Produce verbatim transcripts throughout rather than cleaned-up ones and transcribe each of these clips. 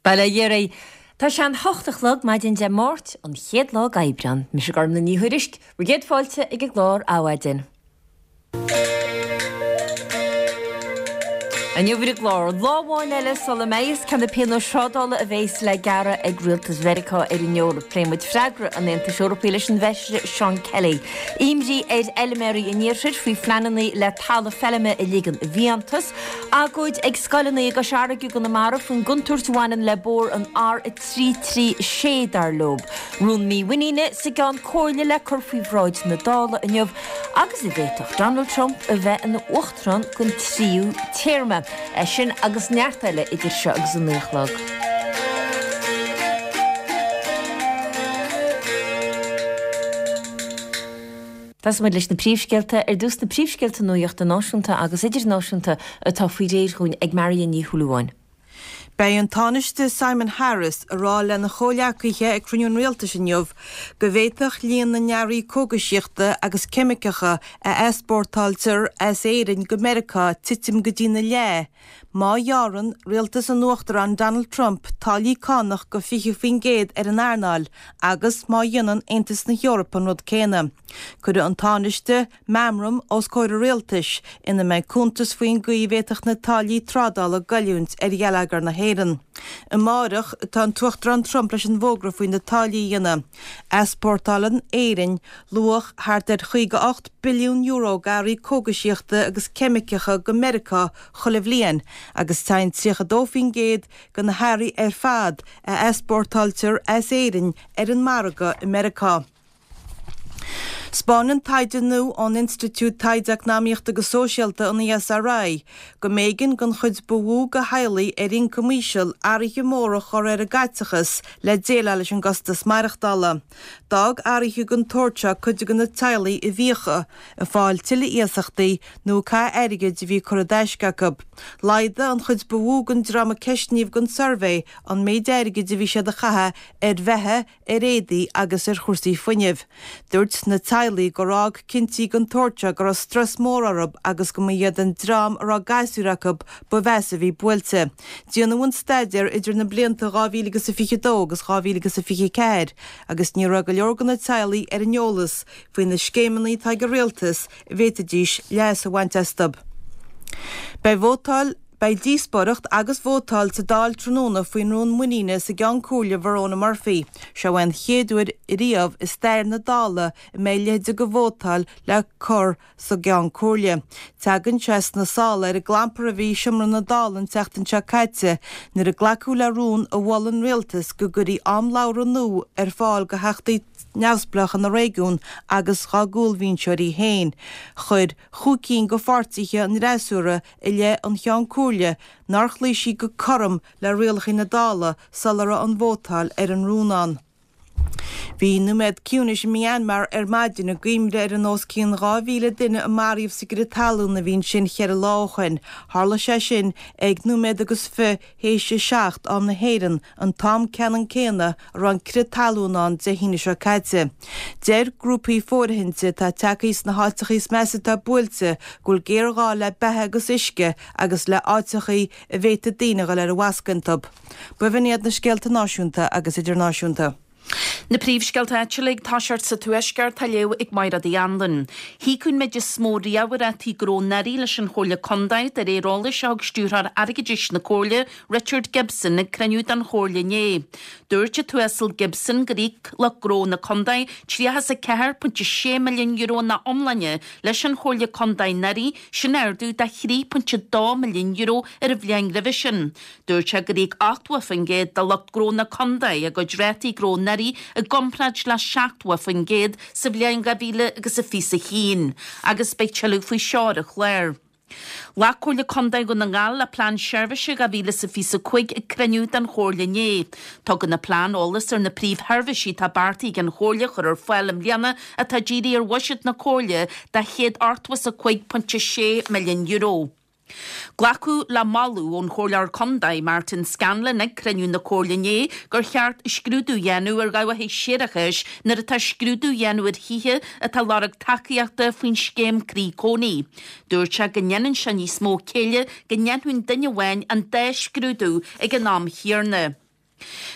Bail ó Dhia oraibh. Tá sé an hocht a chlog maidin Dé Máirt, an chéad lá d'Aibreán. Mise Gormlaith Ní Thuairisg, bhur gcéad fáilte ag an gclár Adhmhaidin. Inniu ar an gclár, lá amháin eile sula mbeidh fhios cé na pionóis thrádála a bheas le gearradh ag rialtas Mheiriceá ar an Eoraip. Pléifidh muid freagra an Aontais Eorpaigh leis an bhFeisire Seán Kelly. Imní ar fheilméaraí an iarthair faoi phleananna le talamh feilme a ligean i bhfiántas. Agóid ag scoileanna i gCois Fharraige i gConamara faoin gcontúirt a bhaineann le bóthar an R a trí trí sé dar leo. Rún mímhuiníne sa gCeann Comhairle le cur faoi bhráid na Dála inniu agus an bhféadfadh Donald Trump a bheith ina uachtarán don tríú téarma. É sin agus neart eile idir seo agus a naoi a chlog. Tosóidh muid leis na príomhscéalta ar dtús na príomhscéalta nuachta náisiúnta agus idirnáisiúnta atá faoi réir dhúinn ag Marion Ní Shúilleabháin. Beidh an Tánaiste Simon Harris ag rá lena chomhghleacaithe ag cruinniú an rialtais inniu go bhféadfadh líon na n-earraí cógaisíochta agus ceimiceacha a easpórtáiltear as Éirinn go Meiriceá titim go dtí na leath má ghearrann rialtas an Uachtaráin Donald Trump táillí cánach go fiche faoin gcéad ar an earnáil agus má dhéanann Aontas na hEorpa an rud céanna. Cuirfidh an Tánaiste meamram os comhair an rialtais ina mbeidh cuntas faoin gcaoi a bhféadfadh na táillí trádála goilliúint ar gheilleagar na hÉireann. Amárach tá an tUachtarán Trump leis an bhfógra faoi na táillí a dhéanamh. Easpórtálann Éirinn luach thart ar chaoga ocht billiún euro d'earraí cógaisíochta agus ceimiceacha go Meiriceá chuile bhliain agus téann tríocha dó faoin gcéad de na hearraí ar fad a easpórtáiltear as Éirinn ar an margadh i Meiriceá. 'Spáineann taighde nua ón Institiúid Taighde Eacnamaíochta agus Sóisialta, an ESRI, go mb'éigean don chuid ba mhó de theaghlaigh ar ioncam íseal athruithe móra a chur ar a gcaiteachas le déileáil leis an gcostas maireachtála. D'fhág athruithe den tsórt seo cuid de na teaghlaigh i bhfiacha, ag fáil tuilleadh iasachtaí nó ag caitheamh airgid a bhí curtha i dtaisce acu. Laghdaigh an chuid ba mhó den dream a ceistníodh don suirbhé an méid airgid a bhí siad a chaitheamh ar bheatha, ar éadaí agus ar chúrsaí fuinnimh. Dúirt na teaghlaigh gur fhág cinntí den tsórt seo go raibh strus mór orthu agus go mba iad an dream a raibh gasúir acu ba mheasa a bhí buailte. Déanadh an staidéar idir na blianta dhá mhíle agus a fiche dó agus dhá mhíle agus a fiche ceathair agus ní raibh go leor de na teaghlaigh ar an eolas faoi na scéimeanna atá ag an rialtas a bhféadfaidís leas a bhaint astu. Beidh vótáil Beidh díospóireacht agus vótáil sa Dáil tráthnóna faoin rún muiníne sa gCeann Comhairle Verona Murphy. Seo é an chéad uair riamh i stair na Dála a mbeidh a leithéid de vótáil le cur sa gCeann Comhairle. Tagann sé sna sála ar an gclampar a bhí i seomra na Dála an tseachtain seo caite nuair a glacadh le rún a mhol an rialtas go gcuirfí am labhartha nua ar fáil do theachtaí neamhspleácha na réigiún agus dá gcúlbhinseoirí féin. Chuir chúig cinn de pháirtithe an fhreasúra i leith an Cheann Comhairle nár chloígh sí go cothrom le rialacha na Dála sula raibh an vótáil ar an rún ann. Bhí nóiméad ciúnais i Myanmar ar maidin i gcuimhne ar an os cionn dhá mhíle duine a maraíodh sa gcrith talún a bhí ansin cheithre lá ó shin. Tharla sé sin ag nóiméad agus fiche théis a seacht am na hÉireann, an t-am ceannann céanna a raibh an crith talún ann Dé hAoine seo caite. Deir grúpaí fóirithinte atá tagtha sna háiteacha is measa atá buailte go bhfuil géarghá le beatha agus uisce agus le áiteacha a bhféadfadh daoine a dhul ar an bhfoscadh iontu. B'in iad na scéalta náisiúnta agus idirnáisiúnta. Na príomhscéalta áitiúla ag toiseacht sa Tuaisceart á léamh ag Máire Uí Anluain. Híocadh an méid is mó riamh i rátaí gnó anuraidh leis an Chomhairle Contae de réir eolais a thug Stiúrthóir Airgeadais na Comhairle, Richard Gibson, ag cruinniú den Chomhairle inné. Dúirt an tUasal Gibson gur íoc lucht gnó na contae tríocha is a ceathair pointe sé milliún euro ina iomláine leis an Chomhairle Contae anuraidh, sin ardú de thrí pointe dó milliún euro ar an bhliain roimhe sin. Dúirt sé gur íoc ochtó faoin gcéad de lucht gnó na contae a gcuid rátaí gnó anuraidh i gcomparáid le seachtó faoin gcéad sa bhliain dhá mhíle agus a fiche a haon, agus beidh tuilleadh faoi seo ar an chlár. Ghlac Comhairle Contae Dhún na nGall le Plean Seirbhíse dhá mhíle is a fiche a cúig ag cruinniú den Chomhairle inné. Tugann an plean eolas ar na príomhsheirbhísí atá beartaithe ag an Chomhairle a chur ar fáil i mbliana atá dírithe ar bhuiséad na Comhairle de chéad ochtó is a cúig pointe sé milliún euro. Glacadh le moladh ón Chomhairleoir Contae, Martin Scanlon, ag cruinniú na Comhairle inné gur cheart scrúdú a dhéanamh ar dhabhacha séarachais nuair atá scrúdú á dhéanamh ar thithe atá ag lorg tacaíochta faoin scéim Croí Cónaí. Dúirt sé go ndéanann sé níos mó céille go ndéanfadh duine amháin an dá scrúdú ag an am chéanna.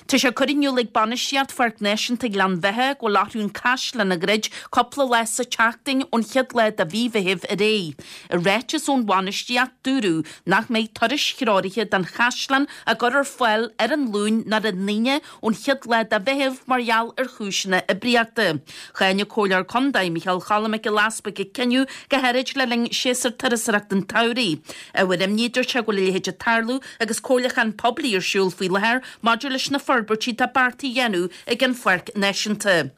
Tá sé curtha in iúl ag bainistíocht Pháirc Náisiúnta Ghleann Bheatha go bhfuil athrú an caisleán a dhruid cúpla lá sa tseachtain ón chéad lá de mhí Mheithimh ar aghaidh. I ráiteas ón bhainistíocht dúradh nach mbeidh turais threoraithe den chaisleán á gcur ar fáil ar an Luan ná ar an Aoine ón chéad lá de Mheitheamh mar gheall ar chúiseanna oibríochta. Cháin an Comhairleoir Contae Micheál Choilm Mac Giolla Easbuig an cinneadh go háirid le linn séasúr turasóireachta an tsamhraidh. Ábhar imní dúirt sé go bhfuil a leithéid ag tarlú agus comhairliúchán poiblí ar siúl faoi láthair maidir leis na forbairtí atá beartaithe a dhéanamh ag an Pháirc Náisiúnta.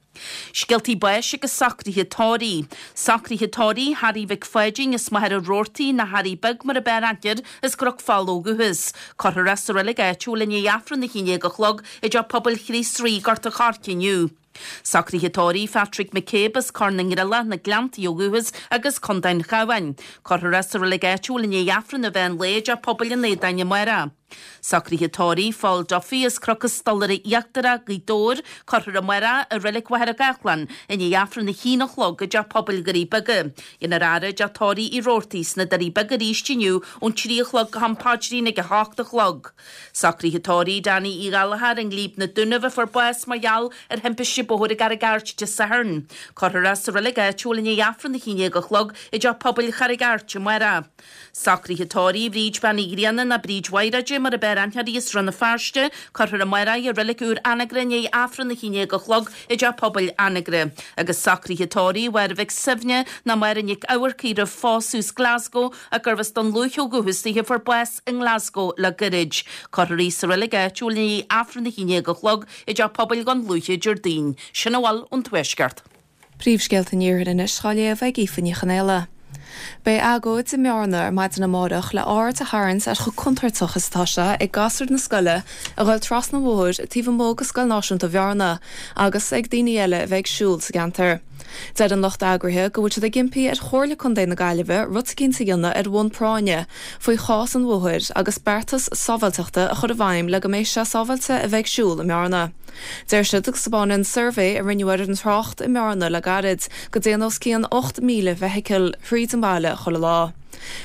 Scéaltaí báis agus socruithe tórraimh. Socruithe tórraimh Harry Mhic Pháidín as Machaire Rabhartaigh nó Harry Beag mar ab fhearr aithne air as gCnoc Fola ó dhúchas. Cuirfear é sa reilig áitiúil i ndiaidh Aifreann a haon déag a chlog i dTeach Pobail Chríost Rí, Gort an Choirce inniu. Socruithe tórraimh Patrick McCabe as Corr na nGreallach, na Gleanntaí ó dhúchas agus Contae an Chabháin. Cuirfear é sa reilig áitiúil i ndiaidh Aifreann an mheán lae i dTeach Pobail an Aodáin amárach. Socruithe tórraimh Phól Duffy as Cnoc an Stolaire Íochtarach, Gaoth Dobhair, cuirfear amárach i reilig Mhachaire Gathlán i ndiaidh Aifreann a haon a chlog i dTeach Pobail Dhoirí Beaga. Déanfar faire i dteach tórraimh Uí Robhartaigh sna Doirí Beaga arís inniu ón trí a chlog go ham paidrín ag a hocht a chlog. Socruithe tórraimh Danny Uí Ghallchóir an Ghlíb na Dúnaibh a fuair bás mar gheall ar thimpiste bóthair i gCarraig Airt Dé Sathairn. Cuirfear é sa reilig áitiúil i ndiaidh Aifreann a haon déag a chlog i dTeach Pobail Charraig Airt amárach. Socruithe tórraimh Bríd Bean Uí Ghrianna nó Bríd Mhaighréide mar ab fhearr aithne uirthi as Rann na Feirste, cuirfear amárach í i reilig úr Anagaire i ndiaidh Aifreann a haon déag a chlog i dTeach Pobail Anagaire. Agus socruithe tórraimh Mháire Mhic Suibhne nó Máire Nic Eamharcaigh roimh phósadh as Glasgow ach gurbh as Dún Lúiche ó dhúchas di a fuair bás i nGlasgow le gairid. Cuirfear í sa reilig áitiúil i ndiaidh Aifreann a haon déag a chlog i dTeach Pobail Dhún Lúiche Déardaoin. Sin a bhfuil ón Tuaisceart. Príomhscéalta an Iarthair anois á léamh ag Aoife Ní Chonaola. Beidh agóid i mBearna ar maidin amárach le aird a tharraingt ar chomh contúirteach is atá sé ag gasúir na scoile a ghabháil trasna an bhóthair taobh amuigh de Scoil Náisiúnta Bhearna agus ag daoine eile a bheith ag siúl sa gceantar. Deir an lucht eagraithe go bhfuil siad ag impí ar Chomhairle Contae na Gaillimhe rud eicínt a dhéanamh ar bhonn práinne faoi chás an bhóthair agus beartas sábháilteachta a chur i bhfeidhm le go mbeidh sé sábháilte a bheith ag siúl i mBearna. Deir siad go dtaispeánann suirbhé a rinneadh ar an trácht i mBearna le gairid go dtéann os cionn ocht míle feithicil thríd an baile chuile lá.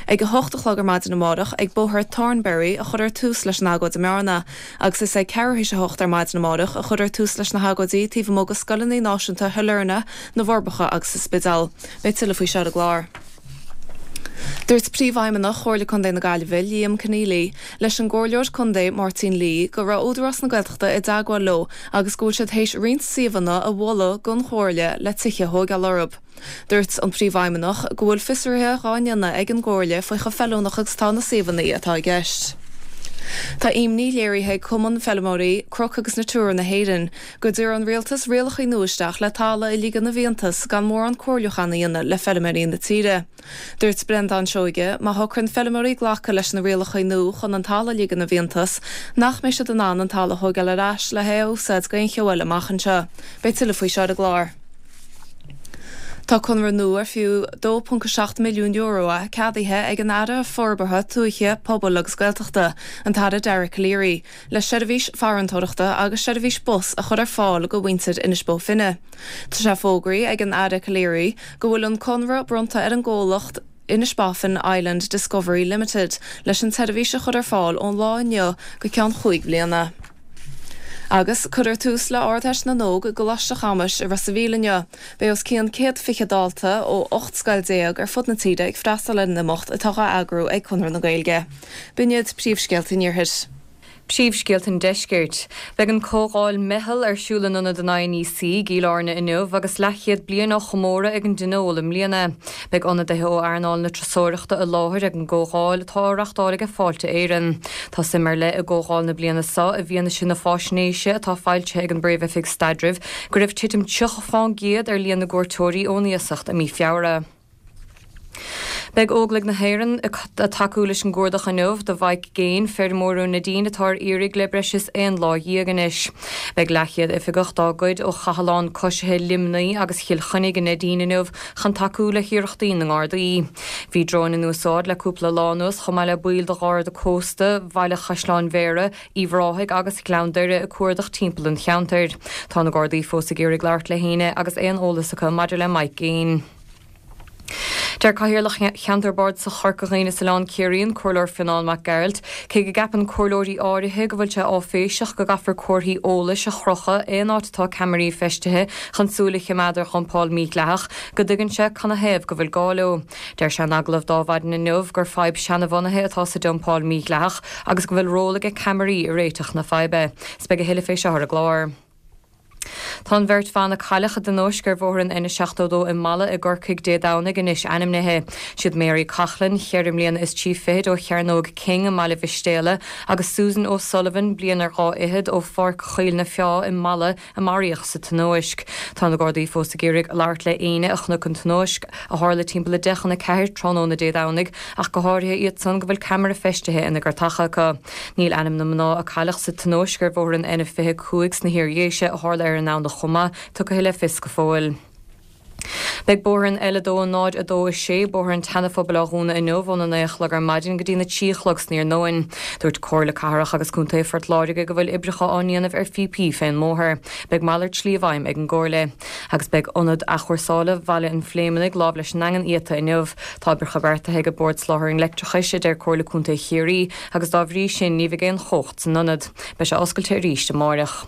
Ag a hocht a chlog ar maidin amárach ag bóthar Thornberry a chuirfear tús leis an agóid i mBearna, agus is ag ceathrú théis a hocht ar maidin amárach a chuirfear tús leis na hagóidí taobh amuigh de scoileanna náisiúnta Shailearna, na bhForbacha agus sa Spidéal. Beidh tuilleadh faoi seo ar an gclár. Dúirt Príomhfheidhmeannach Chomhairle Contae na Gaillimhe Liam Conneely leis an gComhairleoir Contae Máirtín Lee go raibh Údarás na Gaeltachta i dteagmháil leo agus go bhfuil siad théis roinnt suíomhanna a mholadh don Chomhairle le tithe a thógáil orthu. Dúirt an Príomhfheidhmeannach go bhfuil fiosruithe á ndéanamh ag an gComhairle faoi chomh feiliúnach agus atá na suíomhanna atá i gceist. Tá imní léirithe ag Cumann Feirmeoirí Cnoc agus Natura na hÉireann go dtabharfaidh an rialtas rialacha nua isteach le talamh a ligean i bhfiántas gan mórán comhairliúchán a dhéanamh le feirmeoirí na tíre. Dúirt Breandán Seoige má shocraíonn feirmeoirí glacadh leis na rialacha nua chun an talamh a ligean i bhfiántas nach mbeidh siad in ann an talamh a thógáil ar ais le hé a úsáid d'aon cheo eile amach anseo. Beidh tuilleadh faoi seo ar an gclár. Tá conradh nua ar fiú dó ponc a seacht milliún euro é ceadaithe ag an Aire Forbartha Tuaithe, Pobail agus Gaeltachta, an tAire Dara Calleary, le seirbhís farantóireachta agus seirbhís bus a chur ar fáil go mhuintir Inis Bó Finne. Tá sé fógraithe ag an Aire Calleary go bhfuil an conradh bronnta ar an gcomhlacht Inishbofin Island Discovery Limited leis an tseirbhís a chur ar fáil ón lá inniu go ceann chúig bhliana. Agus cuirfear tús le Ardteist na nÓg i gColáiste Chamuis i Ros an Mhíl inniu. Beidh os cionn céad fiche dalta ó ocht scoil déag ar fud na tíre ag freastal ar an imeacht atá á eagrú ag Conradh na Gaeilge. B'in iad príomhscéalta an Iarthair. Príomhscéalta an Deiscirt. Beidh an comhdháil Meitheal ar siúl in ionad an I N E C i gCill Airne inniu agus leathchéad bliain á chomóradh ag an dTionól i mbliana. Beidh ionadaithe ó earnáil na turasóireachta i láthair ag an gcomhdháil atá á reáchtáil ag Fáilte Éireann. Tá suim ar leith i gcomhdháil na bliana seo i bhfianaise na faisnéise atá foilsithe ag an bPríomh-Oifig Staidrimh go raibh titim tríocha faoin gcéad ar líon na gcuairteoirí ón iasacht i mí Feabhra. Beidh Óglaigh na hÉireann ag tacú leis an gcuardach inniu do Mhike Gaine, feirmeoir ón Neidín atá ar iarraidh le breis is aon lá dhéag anois. Beidh leathchéad oifigeach dá gcuid ó chathlán coisithe Luimnigh agus Chill Chainnigh i Neidín inniu chun tacú le hiarrachtaí na nGardaí. Bhí dróin in úsáid le cúpla lá anuas chomh maith le baill de Gharda Cósta, Bhaile Chaisleáin Bhéarra, Uíbh Ráthaigh agus Gleann Doire ag cuardach timpeall an cheantair. Tá na Gardaí fós ag iarraidh labhairt le héinne agus aon eolas acu maidir le Mike Gaine. Deir Cathaoirleach Cheantar Bardasach Chorca Dhuibhne is Oileán Ciarraí, an Comhairleoir Fionán Mac Gearailt, cé go gceapann comhairleoirí áirithe go bhfuil sé áiféiseach go gcaithfear comharthaí eolais a chrochadh aon áit atá ceamaraí feistithe chun súil a choimeád ar dhumpáil mhídhleathach, go dtuigeann sé canathaobh go bhfuil gá leo. Deir sé in agallamh d'Adhmhaidin inniu gur fadhb seanbhunaithe atá sa dumpáil mhídhleathach agus go bhfuil ról ag ceamaraí i réiteach na faidhbe. 'S beidh a thuilleadh fé seo ar an gclár. Tá an bheirt bhan a cailleadh i dtionóisc ar bhóthar an N seachtó dó i Mala i gCorcaigh Dé Domhnaigh anois ainmnithe. Siad Mary Coughlan, cheithre mbliana is trí fichid ó Chearnóg King i mBaile Mhistéala agus Susan O'Sullivan, bliain ar dhá fhichead ó Pháirc Choill na Feá i Mala a maraíodh sa tionóisc. Tá na Gardaí fós ag iarraidh labhairt le éinne a chonaic an tionóisc, a tharla timpeall a deich chun a ceathair tráthnóna Dé Domhnaigh, ach go háirithe iad san go bhfuil ceamara feistithe ina gcairteacha acu. Níl ainm na mná a cailleadh sa tionóisc ar bhóthar an N fiche cúig sna hIardhéise a tharla ar an nDomhnach chomh maith, tugtha le fios go fóill. Beidh bóthar an L a dó náid a dó a sé, Bóthar an tSeanaphobail á dhúnadh inniu óna naoi a chlog ar maidin go dtí na trí a chlog san iarnóin. Dúirt Comhairle Cathrach agus Contae Phort Láirge go bhfuil oibreacha á ndéanamh ar phíopaí fén mbóthar. Beidh malairt slí i bhfeidhm ag an gComhairle. Agus beidh Ionad Athchúrsála Bhaile an Phléimeannaigh lámh leis an nDaingean iata inniu. Tá oibreacha beartaithe ag Bord Soláthair an Leictreachais, a deir Comhairle Contae Chiarraí, agus dá bhrí sin ní bheidh aon chumhacht san ionad. Beidh sé oscailte arís amáireach.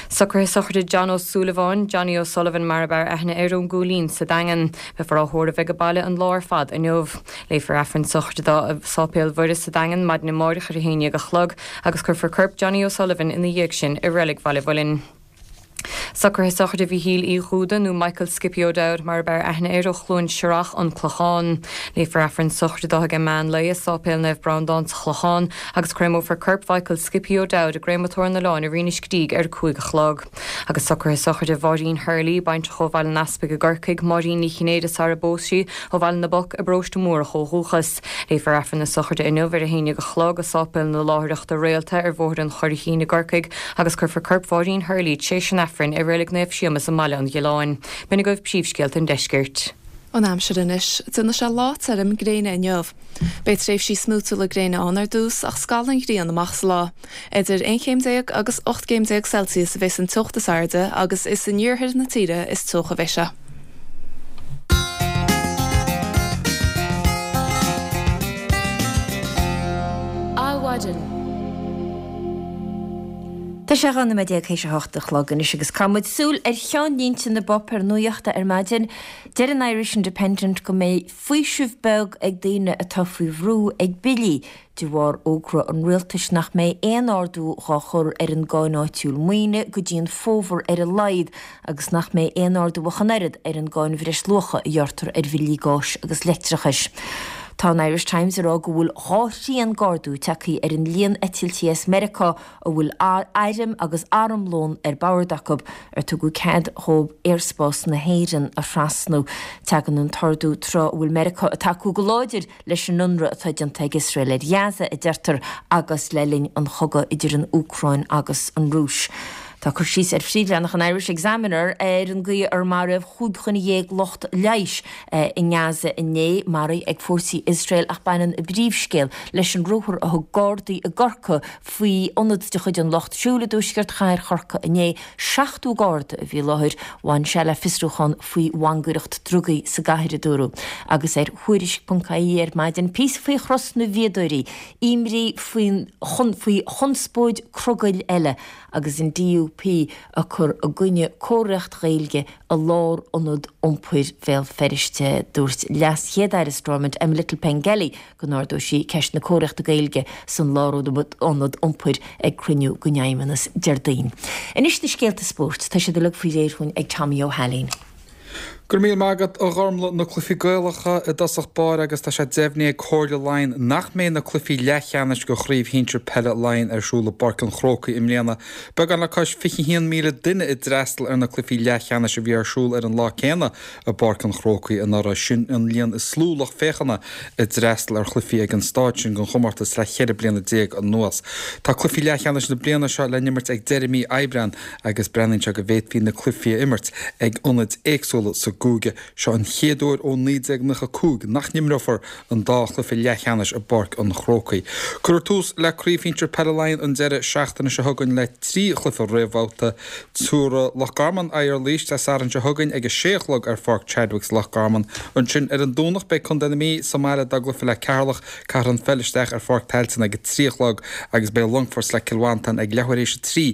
Socruithe sochraide John Ó Súilleabháin, Johnny O'Sullivan mar ab fhearr aithne air ón gCúilín sa Daingean. Beifear á thórramh ag baile an lá ar fad inniu. Léifear Aifreann sochraide dó i Sáipéal Mhuire sa Daingean maidin amáireach ar a haon déag a chlog agus cuirfear corp Johnny O'Sullivan ina dhiaidh sin i Reilig Bhaile Mhuilinn. Socruithe sochraide Mhíchíl Uí Dhúda nó Michael Skippy O'Dowd mar ab fhearr aithne air ó Chluain Siorach, An Clochán. Léifear Aifreann sochraide dó ag meán lae i Sáipéal Naomh Breandán sa Chlochán agus créamófar corp Mhichael Skippy O'Dowd i gcréamatóir an oileáin i Rinn Uisce ar a cúig a chlog. Agus socruithe sochraide Mháirín Hurley, baintreach ó Bhaile an Easpaig i gCorcaigh, Máirín Ní Chinnéide sara bpós sí ó Bhaile na bPoc i bParóiste Mórdhach ó dhúchas. Léifear Aifreann na sochraide inniu ar a haon déag a chlog i Sáipéal na Láithreachta Réalta ar Bhóthar an Churraichín i gCorcaigh agus cuirfear corp Mháirín Hurley tar éis an Aifrinn i Reilig Naomh Séamus i mBaile an Ghiolláin. B'in agaibh príomhscéalta an deiscirt. An aimsir anois, déanfaidh sé lá tirim gréine inniu. Beidh tréimhsí smúitiúla gréine ann ar dtús ach scalfaidh an ghrian amach sa lá. Idir aon chéim déag agus ocht gcéim déag Celsius a bheas an teocht is airde agus is in iarthar na tíre is teocha a bheidh sé. Adhmhaidin. Tá sé dhá nóiméad déag théis a hocht a chlog anois agus caithfidh muid súil ar cheannlínte na bpáipéar nuachta ar maidin. Deir an Irish Independent go mbeidh faoiseamh beag ag daoine atá faoi bhrú ag billí de bharr fhógra an rialtais nach mbeidh aon ardú dhá chur ar an gcáin áitiúil maoine go dtí an fómhar ar a laghad agus nach mbeidh aon ardú ach an oiread ar an gcáin bhreisluacha a ghearrtar ar bhillí gáis agus leictreachais. Tá an Irish Times ag rá go bhfuil dhá thrian d'ardú tagtha ar an líon eitiltí as Meiriceá a bhfuil airm agus armlón ar bord acu ar tugadh cead dhóibh aerspás na hÉireann a thrasnú. Tagann an t-ardú tráth a bhfuil Meiriceá ag tacú go láidir leis an ionradh atá déanta ag Iosrael ar Ghaza a deirtear agus le linn an chogaidh idir an Úcráin agus an Rúis. Tá cur síos ar phríomhleathanach an Irish Examiner ar an gcaoi ar maraíodh cúig dhuine dhéag lucht leighis i nGaza inné, maraithe ag fórsaí Iosrael ach baineann a bpríomhscéal leis an ruathar a thug Gardaí i gCorcaigh faoi ionad de chuid an Lucht Siúil i dtuaisceart chathair Chorcaí inné. Seachtó Garda a bhí i láthair. Bhain sé le fiosrúchán faoi mhangaireacht drugaí sa gcathair, a dúradh. Agus ar Thuairisc ponc ie ar maidin, píosa faoi Chros na bhFíodóirí, imní faoi chonspóid crogaill eile agus an D U P ag cur i gcoinne comharthaíocht Ghaeilge i lárionad iompair Bhéal Feirste. Dúirt Leas-Chéad-Aire Stormont, Emma Little Pengelly, go n-ardóidh sí ceist na comharthaíochta Gaeilge san lárionad iompair ag cruinniú den Fheidhmeannas Déardaoin. Anois na scéalta spóirt, tá siad uilig faoi réir dhúinn ag Tommy Ó hAilín. Go raibh míle maith agat, a Ghormlaith. Na cluichí Gaelacha i dtosach báire agus tá sé deimhnithe ag Comhairle Laighean nach mbeidh na cluichí leathcheannais de Chraobh Shinsir Peile Laighean ar siúl i bPáirc an Chrócaigh i mbliana. Beagán le cois fiche haon míle duine a d'fhreastail ar na cluichí leathcheannais a bhí ar siúl ar an lá céanna i bPáirc an Chrócaigh anuraidh. Sin an líon is lú lucht féachana a d'fhreastail ar chluichí ag an staid sin den chomórtas le ceithre bliana déag anuas. Tá cluichí leathcheannais na bliana seo le n-imirt ag deireadh mí Aibreáin agus breathnaíonn sé go bhféadfaí na cluichí a imirt ag ionaid éagsúla sa gcúige. Seo an chéad uair ó naoi déag nócha cúig nach n-imreofar an dá chluiche leathcheannais i bPáirc an Chrócaigh. Cuirfear tús le Craobh Shinsir Peile Laighean an deireadh seachtaine seo chugainn le trí chluiche réamhbhabhta. Tabharfaidh Loch Garman aghaidh ar Laois Dé Sathairn seo chugainn ag a sé a chlog ar Pháirc Chadwicks, Loch Garman. Ansin ar an Domhnach beidh Contae na Mí sa mbaile dá gcluiche le Ceatharlach. Caithfear an pheil isteach ar Pháirc Tailteann ag a trí a chlog agus beidh Longfort le Cill Mhantáin ag leathuair théis a trí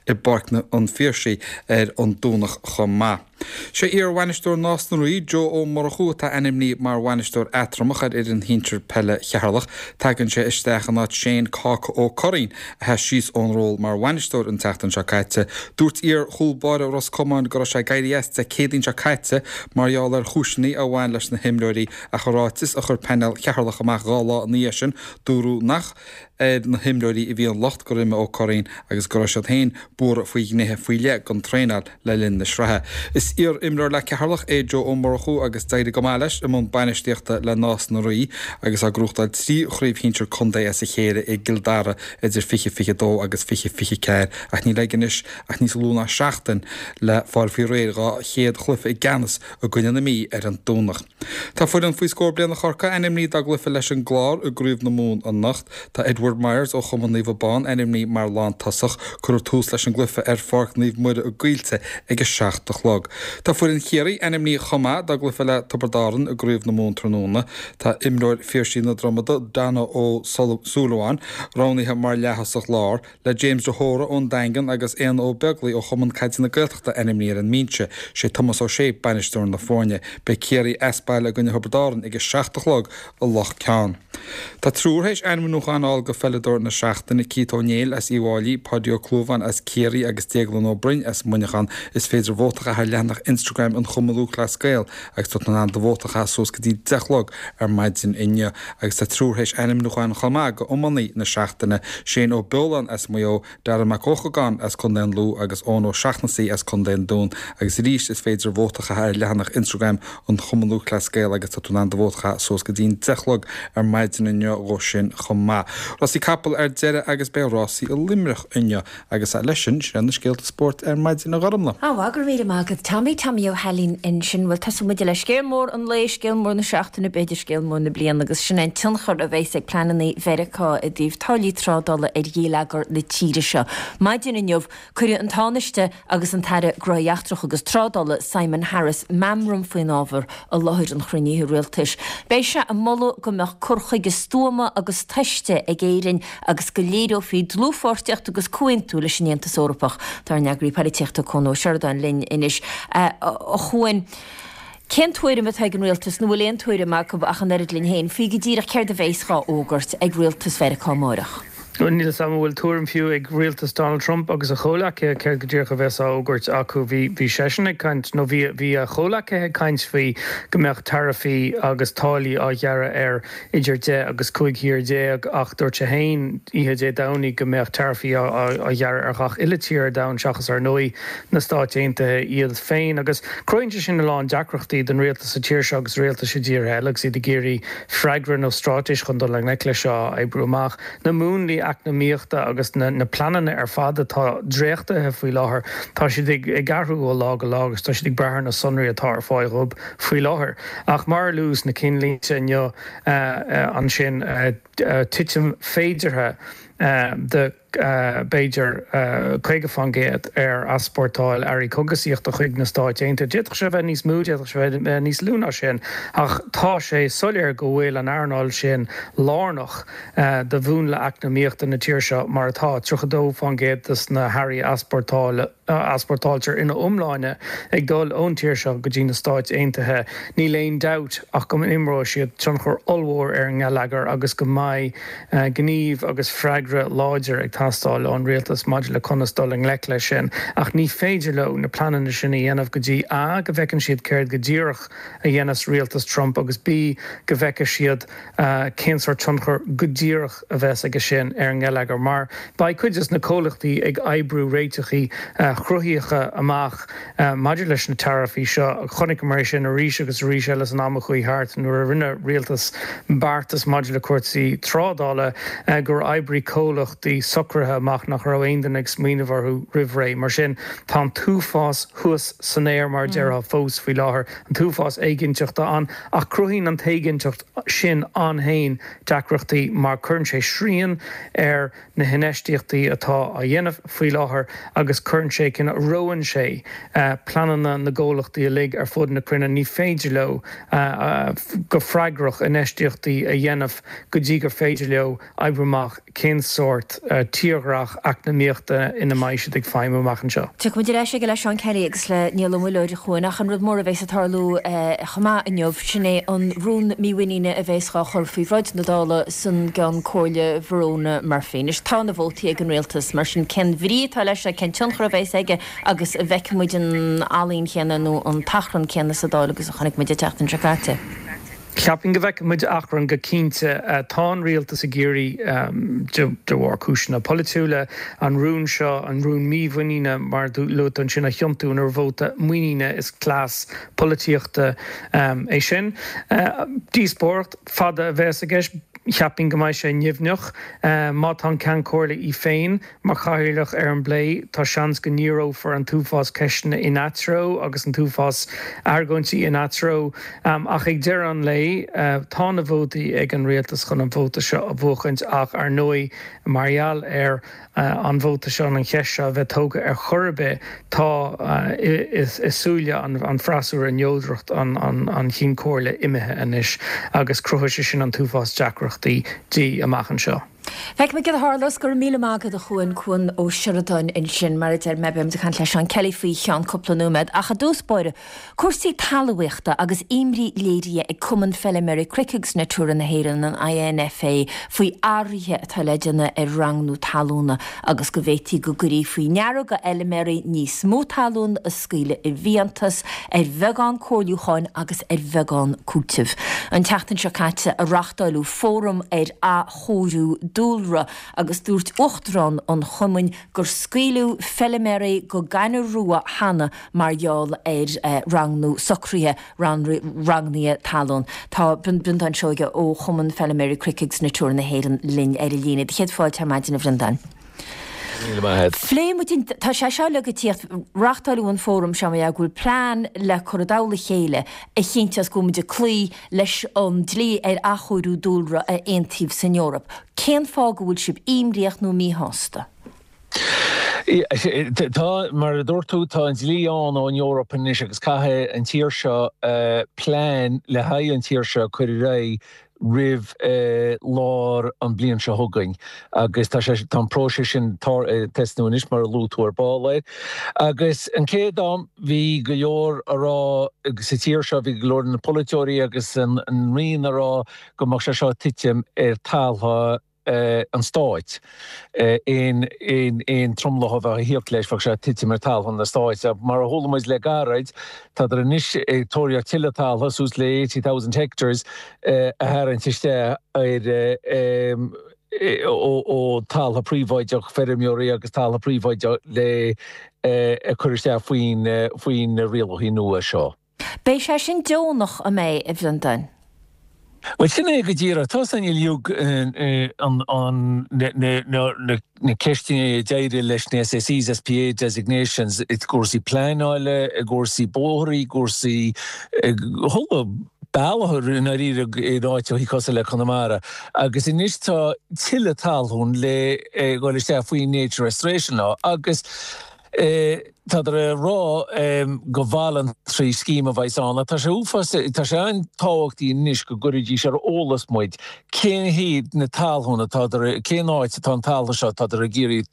i bPáirc an Phiarsaigh ar an Domhnach chomh maith. Sé iar-bhainisteoir Nás na Rí, Joe Ó Murchú atá ainmnithe mar bhainisteoir eatramhach ar fhoireann shinsir peile Cheatharlach. Tagann sé isteach in áit Shane Cáca Ó Curraoin, a sheas síos ón ról mar bhainisteoir an tseachtain seo caite. Dúirt iar-chúl báire Ros Comáin go raibh sé ag éirí as Dé Céadaoin seo caite mar gheall ar chúiseanna a bhain leis na himreoirí ach i ráiteas a chuir painéal Cheatharlach amach dhá lá ina dhiaidh sin, dúradh nach ar na himreoirí a bhí an locht gur imigh Ó Curraoin agus go raibh siad féin buartha faoi ghnéithe faoi leith den traenáil le linn na sraithe. Is iar-imreoir le Ceatharlach é Joe Ó Murchú agus d'éirigh go maith leis i mbun bainistíochta le Nás na Rí agus á gnóthachtáil trí chraobh shinsir contae as a chéile i gCill Dara idir fiche fiche dó agus fiche fiche ceathair ach níl aige anois ach níos lú ná seachtain le fáil faoi réir dhá chéad chluiche i gceannas i gcoinne na Mí ar an Domhnach. Tá foireann faoi scór bliana Chorcaí ainmnithe dá gcluiche leis an gClár i gCraobh na Mumhan anocht. Tá Edward Myers ó Chumann Naomh Abán ainmnithe mar lántosach. Cuirfear tús leis an gcluiche ar Pháirc Naomh Muire i gCoillte ag a seacht a chlog. Tá foireann Chiarraí ainmnithe chomh maith dá gcluiche le Tiobraid Árann i gCraobh na Mumhan tráthnóna. Tá imreoir Phiarsaigh na Dromoda, Donna Ó Súilleabháin, roghnaithe mar leath-thosach láir, le James de hÓra ón Daingean agus Éanna Ó Beaglaoich ó Chumann Caide na Gaeltachta ainmnithe ar an mbinse. Sé Tomás Ó Sé bainisteoir na foirne. Beidh Ciarraí as baile i gcoinne Thiobraid Árann ag a seacht a chlog i Loch Ceann. Tá triúr théis ainmniúchán a fháil go pheileadóir na seachtaine, Keith Ó Néill as Uíbh Fhailí, Páidí Ó Clúmháin as Ciarraí agus Déaglán Ó Broin as Muineachán. Is féidir vóta a chaitheamh ar leathanach Instagram an Chumainn Lúthchleas Gael agus tá tú in ann do vóta a chaitheamh suas go dtí deich a chlog ar maidin inniu. Agus tá triúr théis ainmniúchán chomh maith go iománaí na seachtaine, Shane Ó Beoláin as Maigh Eo, Darragh Mac Eochagáin as Contae an Lú agus Eoin Ó Seachnasaigh as Contae an Dúin. Agus arís is féidir vóta a chaitheamh ar leathanach Instagram an Chumainn Lúthchleas Gael agus tá tú in ann do vóta a chaitheamh suas go dtí an deich a chlog ar maidin inniu dhó sin chomh maith. Rásaí capall ar deireadh agus beidh rásaí i Luimneach inniu agus leis sin, sin na scéalta spóirt ar maidin a Ghormlaith. Á go raibh míle maith agat Tommy Tommy Ó hAilín ansin bhuel tosóidh muid le scéal mór an lae scéal mór na seachtaine b'fhéidir scéal mór na bliana agus sin an tionchar a bheas ag pleananna Mheiriceá i dtaobh táillí trádála ar gheilleagar na tíre seo. Maidin inniu cuireadh an Tánaiste agus an tAire Gnóthaí Eachtracha agus Trádála Simon Harris meamram faoin ábhar i láthair an chruinnithe rialtais. Beidh sé ag moladh go mbeadh cur chuige stuama agus tomhaiste ag Éirinn agus go léireofaí dlúthpháirtíocht agus comhaontú leis an Aontas Eorpach. Tá ár n-eagraí polaitíochta Cuan Ó Seireadáin linn anois a Chuain. Cén tuairim atá ag an rialtas nó bhfuil aon tuairim acu ach an oiread linn féin faoi go díreach céard a bheas á fhógairt ag rialtas Mheiriceá amárach. Níl a fhios agam an bhfuil tuairim fiú ag rialtas Donald Trump agus a chomhleacaithe céard go díreach a bheas á fhógairt acu. Bhí bhí seisean ag caint nó bhí bhí a chomhleacaithe ag caint faoi go mbeadh taraifí agus táillí á ghearradh ar idir deich agus cúig thír déag ach dúirt sé féin oíche Dé Domhnaigh go mbeadh taraifí á ghearradh ar gach uile tír ar domhan seachas ar ndóigh na Stáit Aontaithe iad féin. Agus cruthaíonn sé sin a lán deacrachtaí don rialtas sa tír seo agus rialtais i dtíortha eile agus iad ag iarraidh freagra nó straitéis chun dul i ngleic leis seo a oibriú amach. Na múnlaí eacnamaíochta agus na na pleananna ar fad atá dréachtaithe faoi láthair, tá siad ag ag athrú ó lá go lá agus tá siad ag brath ar na sonraí atá ar fáil dhóibh faoi láthair. Ach mar a luadh sna cinnlínte inniu ansin, titim féideartha de b'fhéidir caoga faoin gcéad ar easpórtáil earraí cógaisíochta chuig na Stáit Aontaithe. D'fhéadfadh sé a bheith níos mó, d'fhéadfadh sé a bheith níos lú ná sin, ach tá sé soiléir go bhfuil an earnáil sin lárnach do mhúnla eacnamaíochta na tíre seo, mar atá, tríocha dó faoin gcéad de na hearraí a easpórtáiltear ina iomláine ag dul ón tír seo go dtí na Stáit Aontaithe. Níl aon dabht ach go n-imreoidh siad tionchar ollmhór ar an ngeilleagar agus go mbeidh gníomh agus freagra láidir ag teastáil ón rialtas maidir le conas dul i ngleic leis sin. Ach ní féidir leo na pleananna sin a dhéanamh go dtí A go bhfeiceann siad céard go díreach a dhéanfas rialtas Trump agus B go bhfeicfidh siad cén sórt tionchar go díreach a bheas aige sin ar an ngeilleagar. Mar beidh cuid de na comhlachtaí ag oibriú réiteachaí chruthaíocha amach maidir leis na taraifí seo. Chonaiceamar é sin arís agus arís eile san am a chuaigh thart nuair a rinne rialtas beartas maidir le cúrsaí trádála gur oibrigh comhlachtaí socruithe amach nach raibh aon duine ag smaoineamh orthu roimh ré. Mar sin, tá an t-uafás thuas san aer mar a déarfá fós faoi láthair, an t-uafás éiginnteachta ann, ach cruthaíonn an t-éiginnteacht sin ann féin deacrachtaí mar cuireann sé srian ar na hinfheistíochtaí atá á dhéanamh faoi láthair agus cuireann sé, reoann sé pleananna na gcomhlachtaí uilig ar fud na cruinne. Ní féidir leo go freagrach infheistíochtaí a dhéanamh go dtí gur féidir leo oibriú amach cén sórt tírdhreach eacnamaíochta ina mbeidh siad ag feidhmiú amach anseo. Tiocfaidh muid ar ais aige le Seán Kelly agus le Niall Ó Muilleoir, a Chuain, ach an rud mór a bheas ag tarlú chomh maith inniu, sin é an rún mímhuiníne a bheas dhá chur faoi bhráid na Dála san gCeann Comhairle Verona Murphy. Anois tá na vótaí ag an rialtas, mar sin cén bhrí atá leis seo, cén tionchar a bheas aige agus an bhfeicfidh muid an ealaín chéanna nó an t-achrann céanna sa Dáil agus a chonaic muid an tseachtain seo caite? Cheapfainn go bhfeicfidh muid achrann go cinnte. Tá an rialtas ag iarraidh, de bharr cúiseanna polaitiúla, an rún seo, an rún mímhuiníne mar a luaigh tú ansin, a thiontú ina vóta muiníne. Is cleas polaitíochta é sin. Díospóireacht fada a bheas i gceist. Cheapfainn go mbeidh sé nimhneach. Má tá an Ceann Comhairle í féin mar chathaoirleach ar an bplé, tá seans go ndíreofar an t-uafás ceisteanna ina treo agus an t-uafás argóintí ina treo. Ach ag deireadh an lae, tá na vótaí ag an rialtas chun an vóta seo a bhuachaint ach, ar ndóigh, mar gheall ar an vóta seo, an cheist seo a bheith tógtha ar chor ar bith, tá i súile an fhreasúra neodracht an Chinn Comhairle imithe anois agus cruthóidh sé sin an t-uafás deacrachtaí di amach anseo. Feicfimid céard a tharlós. Go raibh míle maith agat a Chuain, Cuan Ó Seireadáin ansin. Mar a deir mé, beimid ag caint le Seán Kelly faoi cheann cúpla nóiméad. Ach i dtús báire, cúrsaí talmhaíochta agus imní léirithe ag Cumann Feiliméaraí Cnoic agus Natura na hÉireann, an INFA, faoi athruithe atá le déanamh ar ranghnú talúna agus go bhféadfaí go gcuirfí faoi ndeara do fheiliméaraí níos mó talún a scaoileadh i bhfiántas ar bheagán comhairliúcháin agus ar bheagán cúitimh. An tseachtain seo caite a reáchtáileadh fóram ar athchóiriú dúlra agus dúirt Uachtarán an chumainn gur scaoileadh feiliméaraí go gaineamh rua cheana mar gheall ar ranghnú socruithe ranghnaithe talún. Tá Breandán Seoige ó Chumann Feiliméaraí Cnoic agus Natura na hÉireann linn ar an líne. Do chéad fáilte ar maidin, a Bhreandáin. Míle maith agat. Phléigh muid an, tá sé seo uilig ag tíocht, reáchtáileadh an fóram seo mar gheall go bhfuil plean le cur i dtoll a chéile a chinnteos go bhfuil muid ag cloí leis an dlí ar athchóiriú dúlra a aontaíodh san Eoraip. Cén fáth go bhfuil sibh imníoch nó míshásta? Tá, mar a dúirt tú, tá an dlí ann ón Eoraip anois agus caithfidh an tír seo plean le haghaidh an tír seo a chur ar aghaidh roimh lár an bliain seo chugainn agus tá sé, tá an próiseas sin ag tosnú anois mar a luaigh tú ar ball air. Agus an chéad am bhí go leor a rá sa tír seo, bhí go leor de na polaiteoirí agus an Roinn a rá go mbeadh sé seo ag titim ar taltha an stáit. Aon aon tromlach a bheadh ag thíocht leis, bheadh sé ag titim ar taltha na stáit. Mar a chuala muid le gairid, tádar anois ag tóraíocht tuilleadh taltha, suas le eighty thousand hectares, a tharraingt isteach ar ó taltha príobháideach feirmeoirí agus taltha príobháideach le a chur isteach faoin faoi na rialacha nua seo. Beidh sé sin deonach, an mbeidh, a Bhreandáin? Bhuel, sin é go díreach. Tá san uilig na ceisteanna a d'éirigh leis na SACs, SPA designations, i gcúrsaí pleanála, i gcúrsaí bóithre, i gcúrsaí chuile bealach i ndáiríre in áiteachaí cosúil le Conamara. Agus anois tá tuilleadh talún le dhul isteach faoin Nature Restoration Law agus Tádar ag rá gur voluntary scheme a bheas ann ach tá sé uafás, tá sé an-tábhachtaí anois go gcuirfidís ar eolas muid cén hiad na talún atádar, cén áit atá an talamh seo atádar ag iarraidh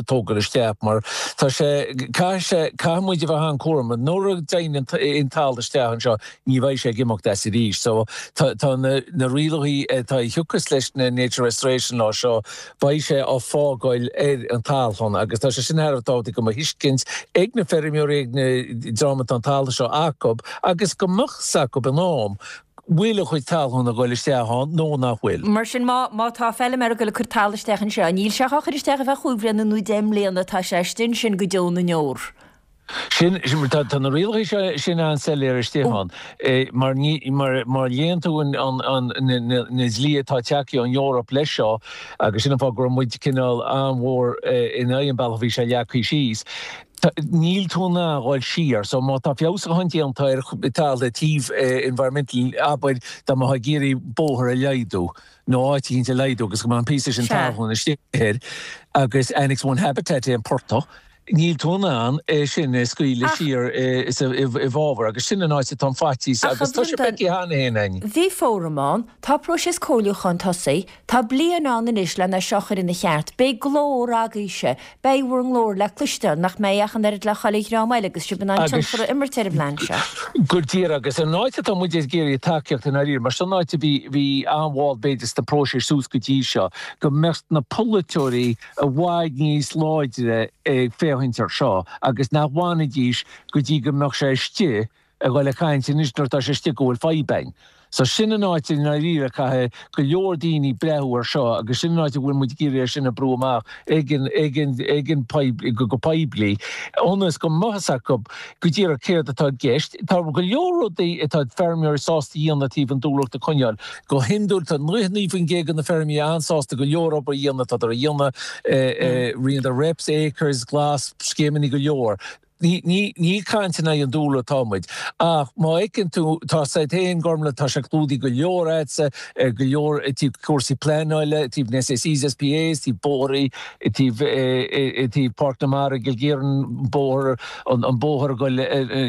tógáil isteach mar tá sé, caithfidh sé, caithfidh muid a bheith an-chúramach. Nuair a dtéann an talamh isteach anseo ní bheidh sé ag imeacht as arís. So tá, tá na, na rialacha atá a thiocfas leis na Nature Restoration Law seo, beidh sé á fágáil ar an talún agus tá sé sin thar a bheith tábhachtach go mbeadh tuiscint ag na feirmeoirí, ag na dream atá an talamh seo acu agus go mbeadh 's acu in am bhfuil a chuid talún ag goil isteach ann nó nach bhfuil. Mar sin, má má tá feilméara ag goil ag cur talamh isteach anseo, níl sé á chur isteach ar feadh chúig bhliana nó deich mbliana, tá sé istigh ansin go deo na ndeor. Sin, tá tá na rialacha seo sin an-soiléir istigh ann. Mar ní mar má léann tú an an an na na na dlí atá tagtha ón Eoraip leis seo, agus sin an fáth go raibh muid cineál an-mhór in aghaidh an bealach a bhí sé leagtha síos, Níl tú in ann dhul siar, so má tá feabhsúchán déanta ar talamh i dtaobh environmental, abair dá mbeifeá ag iarraidh bóthar a laghdú nó áit éicint a laghdú agus go mbeadh an píosa sin talún istigh air agus Annex One Habitat é an portach, níl tú in ann é sin a scaoileadh siar i bhfabhar agus sin an áit atá an faitíos agus tá sé feicthe cheana féin againn. Bhí fóram ann, tá próiseas comhairliúcháin tosaithe, Tá bliain ann anois lena seo a chur ina cheart. Beidh glór agaibhse. Beidh bhur nglór le cloisteáil, nach mbeidh ach an oiread le chuile dhream eile agus sibh in ann tionchar a imirt ar an bplean seo. Go díreach. Agus an áit atá muid ag iarraidh tacaíocht i ndáiríre, mar sin an áit a bhí, bhí an-mhall b'fhéidir sna próisis suas go dtí seo, go mbeadh na polaiteoirí i bhfad níos láidre ag féachaint air seo agus nach bhfanfaidís go dtí go mbeadh sé istigh ag dul ag caint anois nuair atá sé istigh go bhfuil fadhb againn. So sin an áit i ndáiríre caithfidh go leor daoine breathnú ar seo agus sin an áit a bhfuil muid ag iarraidh é sin a brú amach ag an, ag an, ag an poiblí, go poiblí ionas go mbeadh fhios acu go díreach céard atá i gceist. Tá go leor rudaí atá feirmeoirí sásta a dhéanamh taobh an dúlra a choinneáil. Go hiondúil tá nócha naoi faoin gcéad de na feirmeoirí an-sásta go leor obair a dhéanamh, tádar a dhéanamh, ritheann reps, acres, glas, scéimeanna go leor. Ní ní caint in aghaidh an dúlra atá muid. Ach má fheiceann tú, tá said féin, Gormlaith, tá sé clúdaithe go leor a'dsa, go leor i dtaobh cúrsaí pleanála, i dtaobh na SACs, SPAs, i dtaobh bóithrí, i dtaobh i dtaobh Páirc na Mara i gCill Chiaráin, bóthar, an bóthar ag goil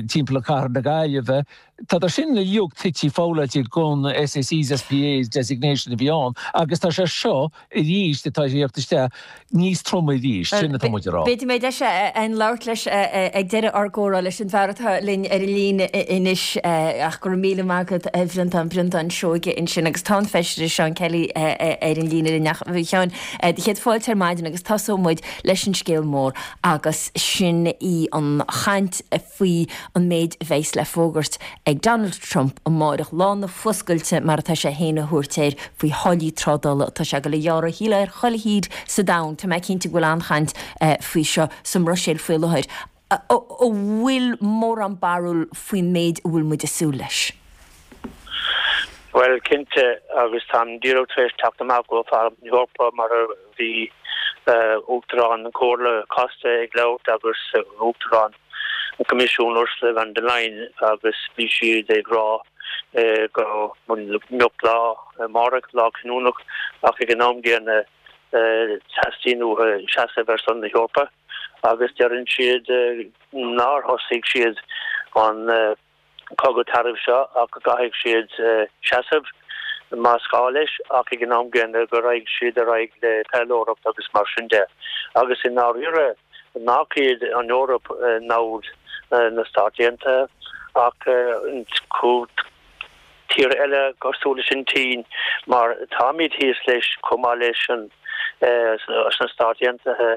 timpeall ar Chathair na Gaillimhe. Tá sin uilig tite foghlailte gon SACs, SPAs designation a bhí ann agus tá sé seo arís atá ag tíocht isteach níos troime arís, sin atá muid a rá. B'fhéidir go mbeidh deis againn labhairt leis ag deireadh ár gcomhrá leis an bhfear atá linn ar an líne anois ach go raibh míle maith agat a Bhreandáin, Breandán Seoige ansin agus tá an Feisire Seán Kelly ar an líne linn ach a Sheáin, do chéad fáilte ar maidin agus tosóidh muid leis an scéal mór agus sin í an chaint faoi an méid a bheas le fógairt ag Donald Trump amáireach, lá na fuascailte mar atá sé féin a thabhairt air, faoi tháillí trádála atá sé ag dul a ghearradh shílfeá ar chuile thír sa domhan. Tá mé cinnte go bhfuil an-chaint faoi seo sa mBruiséil faoi láthair. An bhfuil mórán barúil faoin méid a bhfuil muid ag súil leis? Bhuel, cinnte, agus táim díreach tar éis teacht amach ó Pharlaimint na hEorpa mar a bhí Uachtarán na Comhairle Costa ag labhairt agus Uachtarán an Choimisiúin Ursula von der Leyen agus bhí siad ag rá go mbeadh lá amárach, lá cinniúnach ach ag an am gcéanna teastaíonn uathu seasamh ar son na hEorpa agus deireann siad nár thosaigh siad an cogadh taraif seo ach go gcaithfidh siad seasamh más gá leis ach ag an am gcéanna go raghaidh siad ar aghaidh le taidhleoireacht agus mar sin de. Agus i ndáiríre nach iad an Eoraip namhaid na Stát Aontaithe ach tíortha eile cosúil leis an tSín mar táimid thíos leis chomh maith leis an sna Stáit Aontaithe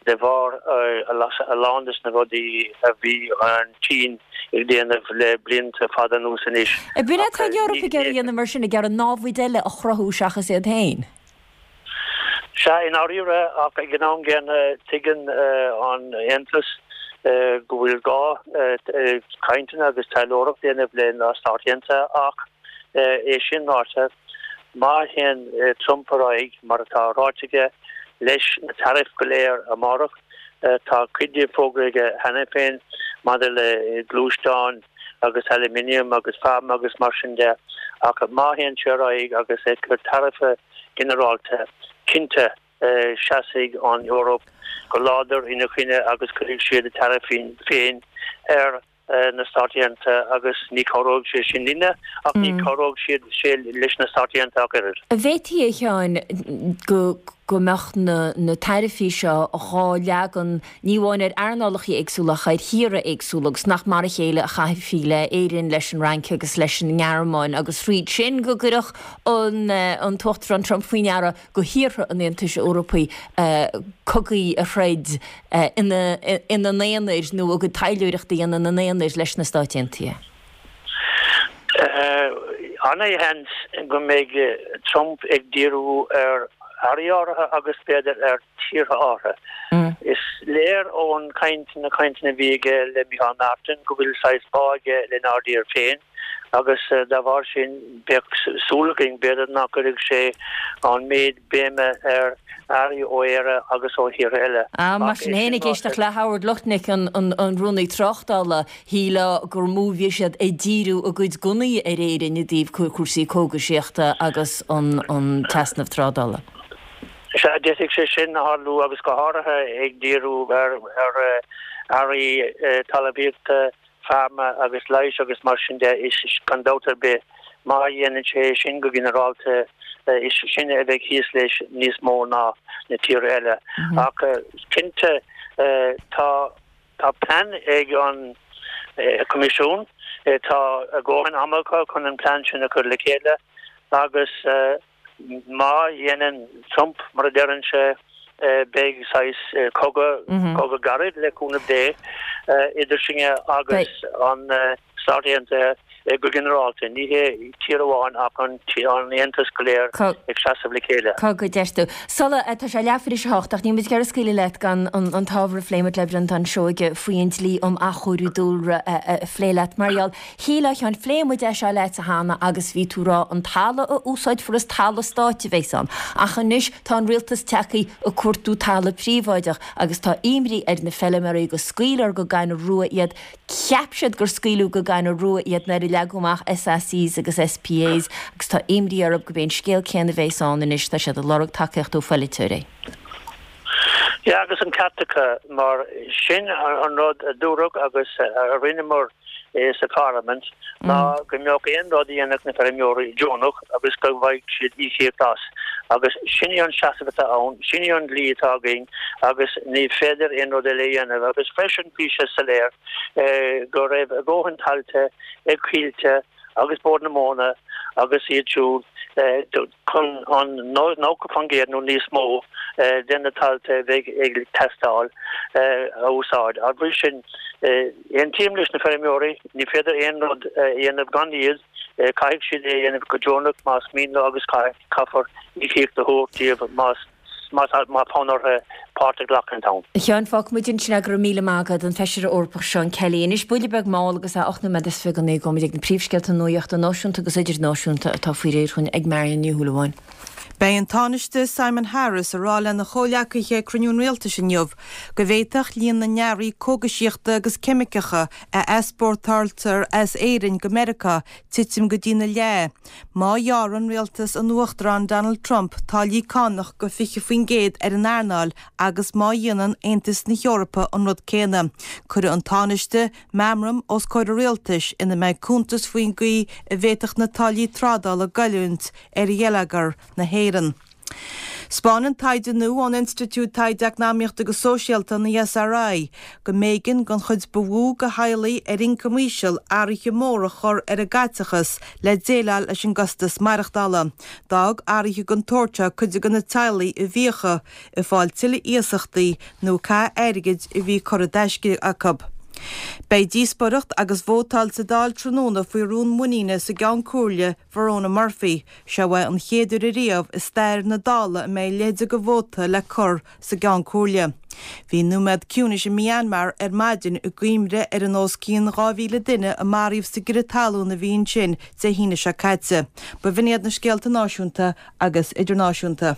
de bharr a lán de na rudaí a bhí an tSín ag déanamh le blianta fada anuas anois. Ab in é atá an Eoraip ag iarraidh a dhéanamh mar sin, ag iarraidh namhaid eile a chruthú seachas iad féin? Sea, i ndáiríre, ach ag an am gcéanna tuigeann an Aontas go bhfuil gá cainteanna agus taidhleoireacht a dhéanamh le na Stáit Aontaithe ach é sin ráite, má théann Trump ar aghaidh mar atá ráite aige leis na taraifí go léir amárach, tá cuid díobh fógraithe aige cheana féin maidir le gluaisteáin agus aluminium agus feamainn agus mar sin de, ach má théann sé ar aghaidh agus ag cur taraifí ginearálta, cinnte seasfaidh an Eoraip go láidir ina choinne agus cuirfidh siad a taraifí féin ar na Stáit Aontaithe agus ní chabhróidh sé sin linne ach ní chabhróidh siad sé leis na Stáit Aontaithe ach oiread. An bhféadfaí, a Sheáin, go go mbeadh na na taraifí seo dhá leagan ní amháin ar earnálacha éagsúla ach ar thíortha éagsúla agus nach mar a chéile a chaithfí le Éirinn, leis an Fhrainc agus leis an nGearmáin agus thríd sin go gcuirfeadh an an tUachtarán Trump faoi ndeara go thíortha an Aontais Eorpaigh cogaí a throid ina ina n-aonair nó a gcuid taidhleoireachta a dhéanamh ina n-aonair leis na Stáit Aontaithe. Ana-sheans go mbeidh Trump ag díriú ar earraí áirithe agus b'fhéidir ar tíortha áirithe. Is léir ón caint, na cainteanna a bhí aige le Micheál Martin go bhfuil saghas bá aige lenár dtír féin agus dá bharr sin bheadh súil againn b'fhéidir nach gcuirfeadh sé an méid béime ar earraí ó Éire agus ó thíortha eile. Mar sin féin, ag éisteacht le Howard Lutnick, an Rúnaí Tráchtála, shílfeá gur mó a bhí siad ag díriú a gcuid gunnaí ar Éirinn i dtaobh cúrsaí cógaisíochta agus an t-easnamh trádála. Sea, d'fhéadfadh sé sin a tharlú agus go háirithe ag díriú ar earraí talmhaíochta, pharma agus leighis agus mar sin de, is gan dabht ar bith, má dhéanann sé sin go ginearálta, is sinne a bheidh thíos leis níos mó ná na tíortha eile. Ach cinnte, tá tá plean ag an Coimisiún, tá a dhóthain ama acu chun an plean sin a chur le chéile agus má dhéanann Trump mar a deireann sé, beidh saghas cogadh, cogadh gairid le cúnamh Dé, idir sinne agus an Stáit Aontaithe go ginearálta. Ní hé tír amháin ach an tAontas go léir ag seasamh le chéile. Cogadh, deir tú. Sula, tá sé leathuair tar éis a hocht ach níl muid ag iarraidh scaoileadh leat gan an t-ábhar a phléigh muid le Breandán Seoige faoi an dlí um athchóiriú dúlra a phlé leat. Mar gheall, shílfeá, a Sheáin, phléigh muid é seo leatsa cheana agus bhí tú ag rá an talamh a úsáidfear is talamh stáit a bheas ann. Ach anois tá an rialtas tagtha ag cuartú talamh príobháideach agus tá imní ar na feilméaraí go scaoilfear go gaineamh rua iad. Cheap siad gur scaoileadh go gaineamh rua iad nuair a leagadh amach SACs agus SPAs agus tá imní orthu gurb é an scéal céanna a bheas ann anois, tá siad ag lorg tacaíocht ó pholaiteoirí. Yeah, agus an ceart acu, mar sin an rud a dúradh agus a rinneamar sa Pharlaimint ná go mbeadh aon rud a dhéanfadh na feirmeoirí deonach agus go bhfaigheadh siad íocaíocht as. Agus sin í an seasamh atá ann, sin í an dlí atá againn agus ní féidir aon rud eile a dhéanamh. Agus freisin bhí sé soiléir go raibh a dhóthain tailte ag Coillte agus Bord na Móna agus iad siúd chun an nócha faoin gcéad nó níos mó de na tailte a bheidh ag teastáil a úsáid. Dá bhrí sin, aontaím leis na feirmeoirí, ní féidir aon rud a dhéanamh gan iad, caithfidh siad é a dhéanamh go deonach más mian leo agus caithfear íocaíocht a thabhairt díobh más má tá fonn orthu páirt a ghlacadh ann. A Sheáin, fágfaidh muid ansin é, go raibh míle maith agat, an Feisire Eorpach Seán Kelly. Anois, buille beag mall agus é ocht nóiméad is fiche go naoi, gabhfaidh muid ag na príomhscéalta nuachta náisiúnta agus idirnáisiúnta atá faoi réir chugainn ag Marion Ní Shúilleabháin. Beidh an Tánaiste Simon Harris ag rá lena chomhghleacaithe ag cruinniú an rialtais inniu go bhféadfadh líon na n-earraí cógaisíochta agus ceimiceacha a easpórtáiltear as Éirinn go Meiriceá titim go dtína leath má ghearrann rialtas an Uachtaráin Donald Trump táillí cánach go fiche faoin gcéad ar an earnáil agus má dhéanann Aontas na hEorpa an rud céanna. Cuirfidh an Tánaiste meamram os comhair an rialtais ina mbeidh cuntas faoin gcaoi a bhféadfadh na táillí trádála goilliúint ar gheilleagar na hÉireann. 'Spáineann taighde nua ón Institiúid Taighde Eacnamaíochta agus Sóisialta, an ESRI, go mb'éigean don chuid ba mhó de theaghlaigh ar ioncam íseal athruithe móra a chur ar a gcaiteachas le déileáil leis an gcostas maireachtála. D'fhág athruithe den tsórt seo cuid de na teaghlaigh i bhfiacha, ag fáil tuilleadh iasachtaí nó ag caitheamh airgid a bhí curtha i dtaisce acu. Beidh díospóireacht agus vótáil sa Dáil tráthnóna faoi rún muiníne sa gCeann Comhairle, Verona Murphy. Seo é an chéad uair ariamh i stair na Dála a mbeidh a leithéid de vóta le cur sa gCeann Comhairle. Bhí nóiméad ciúnais i Myanmar ar maidin i gcuimhne ar an os cionn dhá mhíle duine a maraíodh sa gcrith talún a bhí ansin Dé hAoine seo caite. B'in iad na scéalta náisiúnta agus idirnáisiúnta.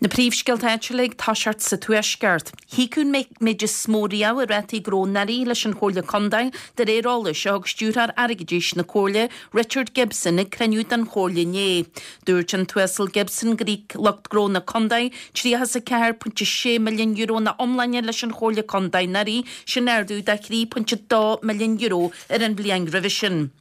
Na príomhscéalta áitiúla ag toiseacht sa Tuaisceart. Híocadh an méid is mó riamh i rátaí gnó anuraidh leis an Chomhairle Contae de réir eolais a thug Stiúrthóir Airgeadais na Comhairle, Richard Gibson ag cruinniú den Chomhairle inné. Dúirt an tUasal Gibson gur íoc lucht gnó na Contae tríocha is a ceathair pointe sé milliún euro ina iomláine leis an Chomhairle Contae anuraidh, sin ardú de thrí pointe dó milliún euro ar an bhliain roimhe sin.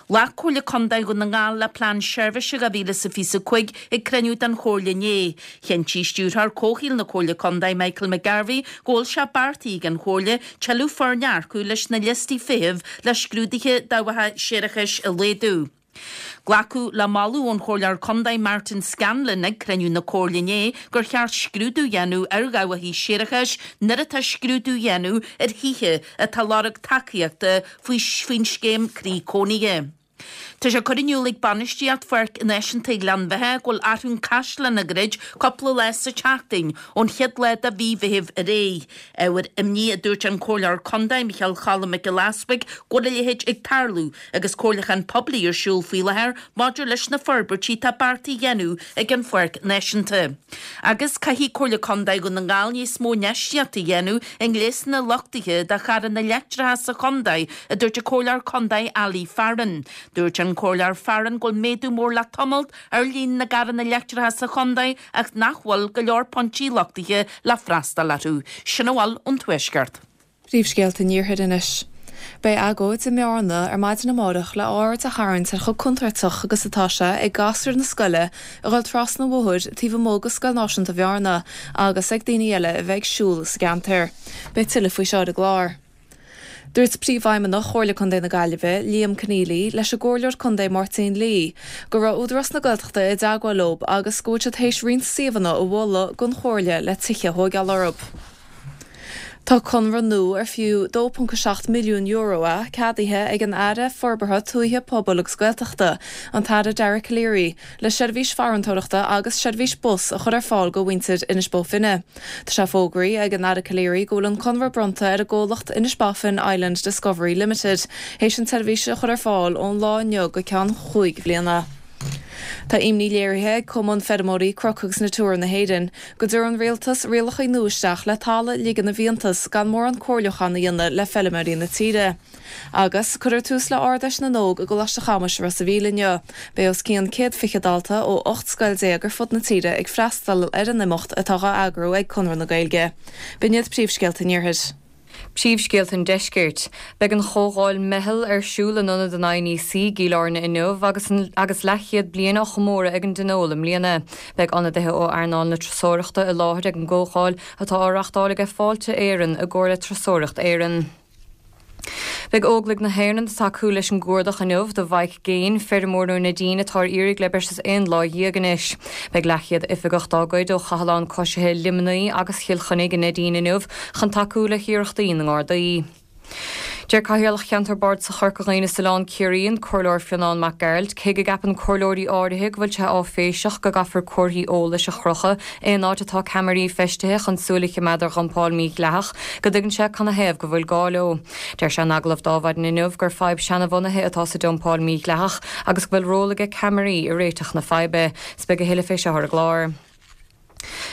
Ghlac Comhairle Contae Dhún na nGall le Plean Seirbhíse dhá mhíle is a fiche a cúig ag cruinniú den Chomhairle inné. Chinntigh Stiúrthóir Comhshaoil na Comhairle Contae Michael McGarvey go bhfuil sé beartaithe ag an Chomhairle tuilleadh foirne a earcú leis na liostaí feithimh le scrúduithe dabhacha séarachais a laghdú. Glacadh le moladh ón Chomhairleoir Contae Martin Scanlon ag cruinniú na Comhairle inné gur cheart scrúdú a dhéanamh ar dhabhacha séarachais nuair atá scrúdú á dhéanamh ar thithe atá ag lorg tacaíochta faoin scéim Croí Cónaithe. Tá sé curtha in iúl ag bainistíocht Pháirc Náisiúnta Ghleann Bheatha go bhfuil Athrú an Caisleán á dhruid cúpla lá sa tseachtain ón chéad lá de mhí Mheithimh ar aghaidh. Ábhar imní a dúirt an Comhairleoir Contae Micheál Cholm Mac Giolla Easbuig go bhfuil a leithéid ag tarlú agus comhairliúchán poiblí ar siúl faoi láthair maidir leis na forbairtí atá beartaithe a dhéanamh ag an Pháirc Náisiúnta. Agus caithfidh Comhairle Contae Dhún na nGall níos mó infheistíochta a dhéanamh i ngléasanna luchtaithe do charranna leictreacha sa chontae, a dúirt an Comhairleoir Contae Ali Farren. Dúirt an Comhairleoir Farren go bhfuil méadú mór le tamalt ar líon na gcarranna leictreacha sa chontae ach nach bhfuil go leor pointí luchtaithe le freastal orthu. Sin a bhfuil ón Tuaisceart. Príomhscéalta an Iarthair anois. Beidh agóid i mBearna ar maidin amárach le aird a tharraingt ar chomh contúirteach agus atá sé ag gasúir na scoile a dhul trasna an bhóthair taobh amuigh de Scoil Náisiúnta Bhearna agus ag daoine eile a bheith ag siúl sa gceantar. Beidh tuilleadh faoi seo ar an gclár. Dúirt Príomhfheidhmeannach Chomhairle Contae na Gaillimhe, Liam Conneely, leis an gComhairleoir Contae Máirtín Lee, go raibh Údarás na Gaeltachta i dteagmháil leo agus go bhfuil siad théis roinnt suíomhanna a mholadh don Chomhairle le tithe a thóigeáil orthu. Tá conradh nua ar fiú dó ponc a seacht milliún euro é ceadaithe ag an Aire Forbartha Tuaithe, Pobail agus Gaeltachta, an tAire Dara Calleary, le seirbhís farantóireachta agus seirbhís bus a chur ar fáil go mhuintir Inis Bó Finne. Tá sé fógraithe ag an Aire Calleary go bhfuil an conradh bronnta ar an gcomhlacht Inishbofin Island Discovery Limited théis an tseirbhís a chur ar fáil ón lá inniu go ceann chúig bhliana. Tá imní léirithe ag Cumann Feirmeoirí Cnoc agus Natura na hÉireann go dtabharfaidh an rialtas rialacha nua isteach le talamh a ligean i bhfiántas gan mórán comhairliúchán a dhéanamh le feilméaraí na tíre. Agus cuirfear tús le Ard-Fheis na nÓg i gColáiste Chamuis i Ros a' Mhíl inniu. Beidh os cionn céad fiche dalta ó ocht scoil déag ar fud na tíre ag freastal ar an imeacht atá á eagrú ag Conradh na Gaeilge. B'in iad príomhscéalta an Iarthair. Príomhscéalta an Deiscirt. Beidh an chomhdháil Meitheal ar siúl in Ionad an INEC i gCill Airne inniu agus agus leathchéad bliain á chomóradh ag an dTionól i mbliana. Beidh ionadaithe ó earnáil na turasóireachta i láthair ag an gcomhdháil atá á reáchtáil ag Fáilte Éireann i gcomhar le Turasóireacht Éireann. Beidh Óglaigh na hÉireann ag tacú leis an gcuardach inniu do Mhike Gaine, feirmeoir ó Neidín atá ar iarraidh le breis is aon lá dhéag anois. Beidh leathchéad oifigeach dá gcuid ó Chathlán Coisithe Luimnigh agus Chill Chainnigh i Neidín inniu chun tacú le hiarrachtaí na nGardaí. Deir Cathaoirleach Cheantar Bardasach Chorca Dhuibhne is Oileán Ciarraí, an Comhairleoir Fionán Mac Gearailt, cé go gceapann comhairleoirí áirithe go bhfuil sé áiféiseach go gcaithfear comharthaí eolais a chrochadh aon áit atá ceamaraí feistithe chun súil a choimeád ar dhumpáil mhídhleathach, go dtuigeann sé canathaobh go bhfuil gá leo. Deir sé in agallamh d'Adhmhaidin inniu gur fadhb seanabhunaithe atá sa dumpáil mhídhleathach agus go bhfuil ról aige ceamaraí i réiteach na faidhbe. 'S beidh a thuilleadh fé seo ar an gclár.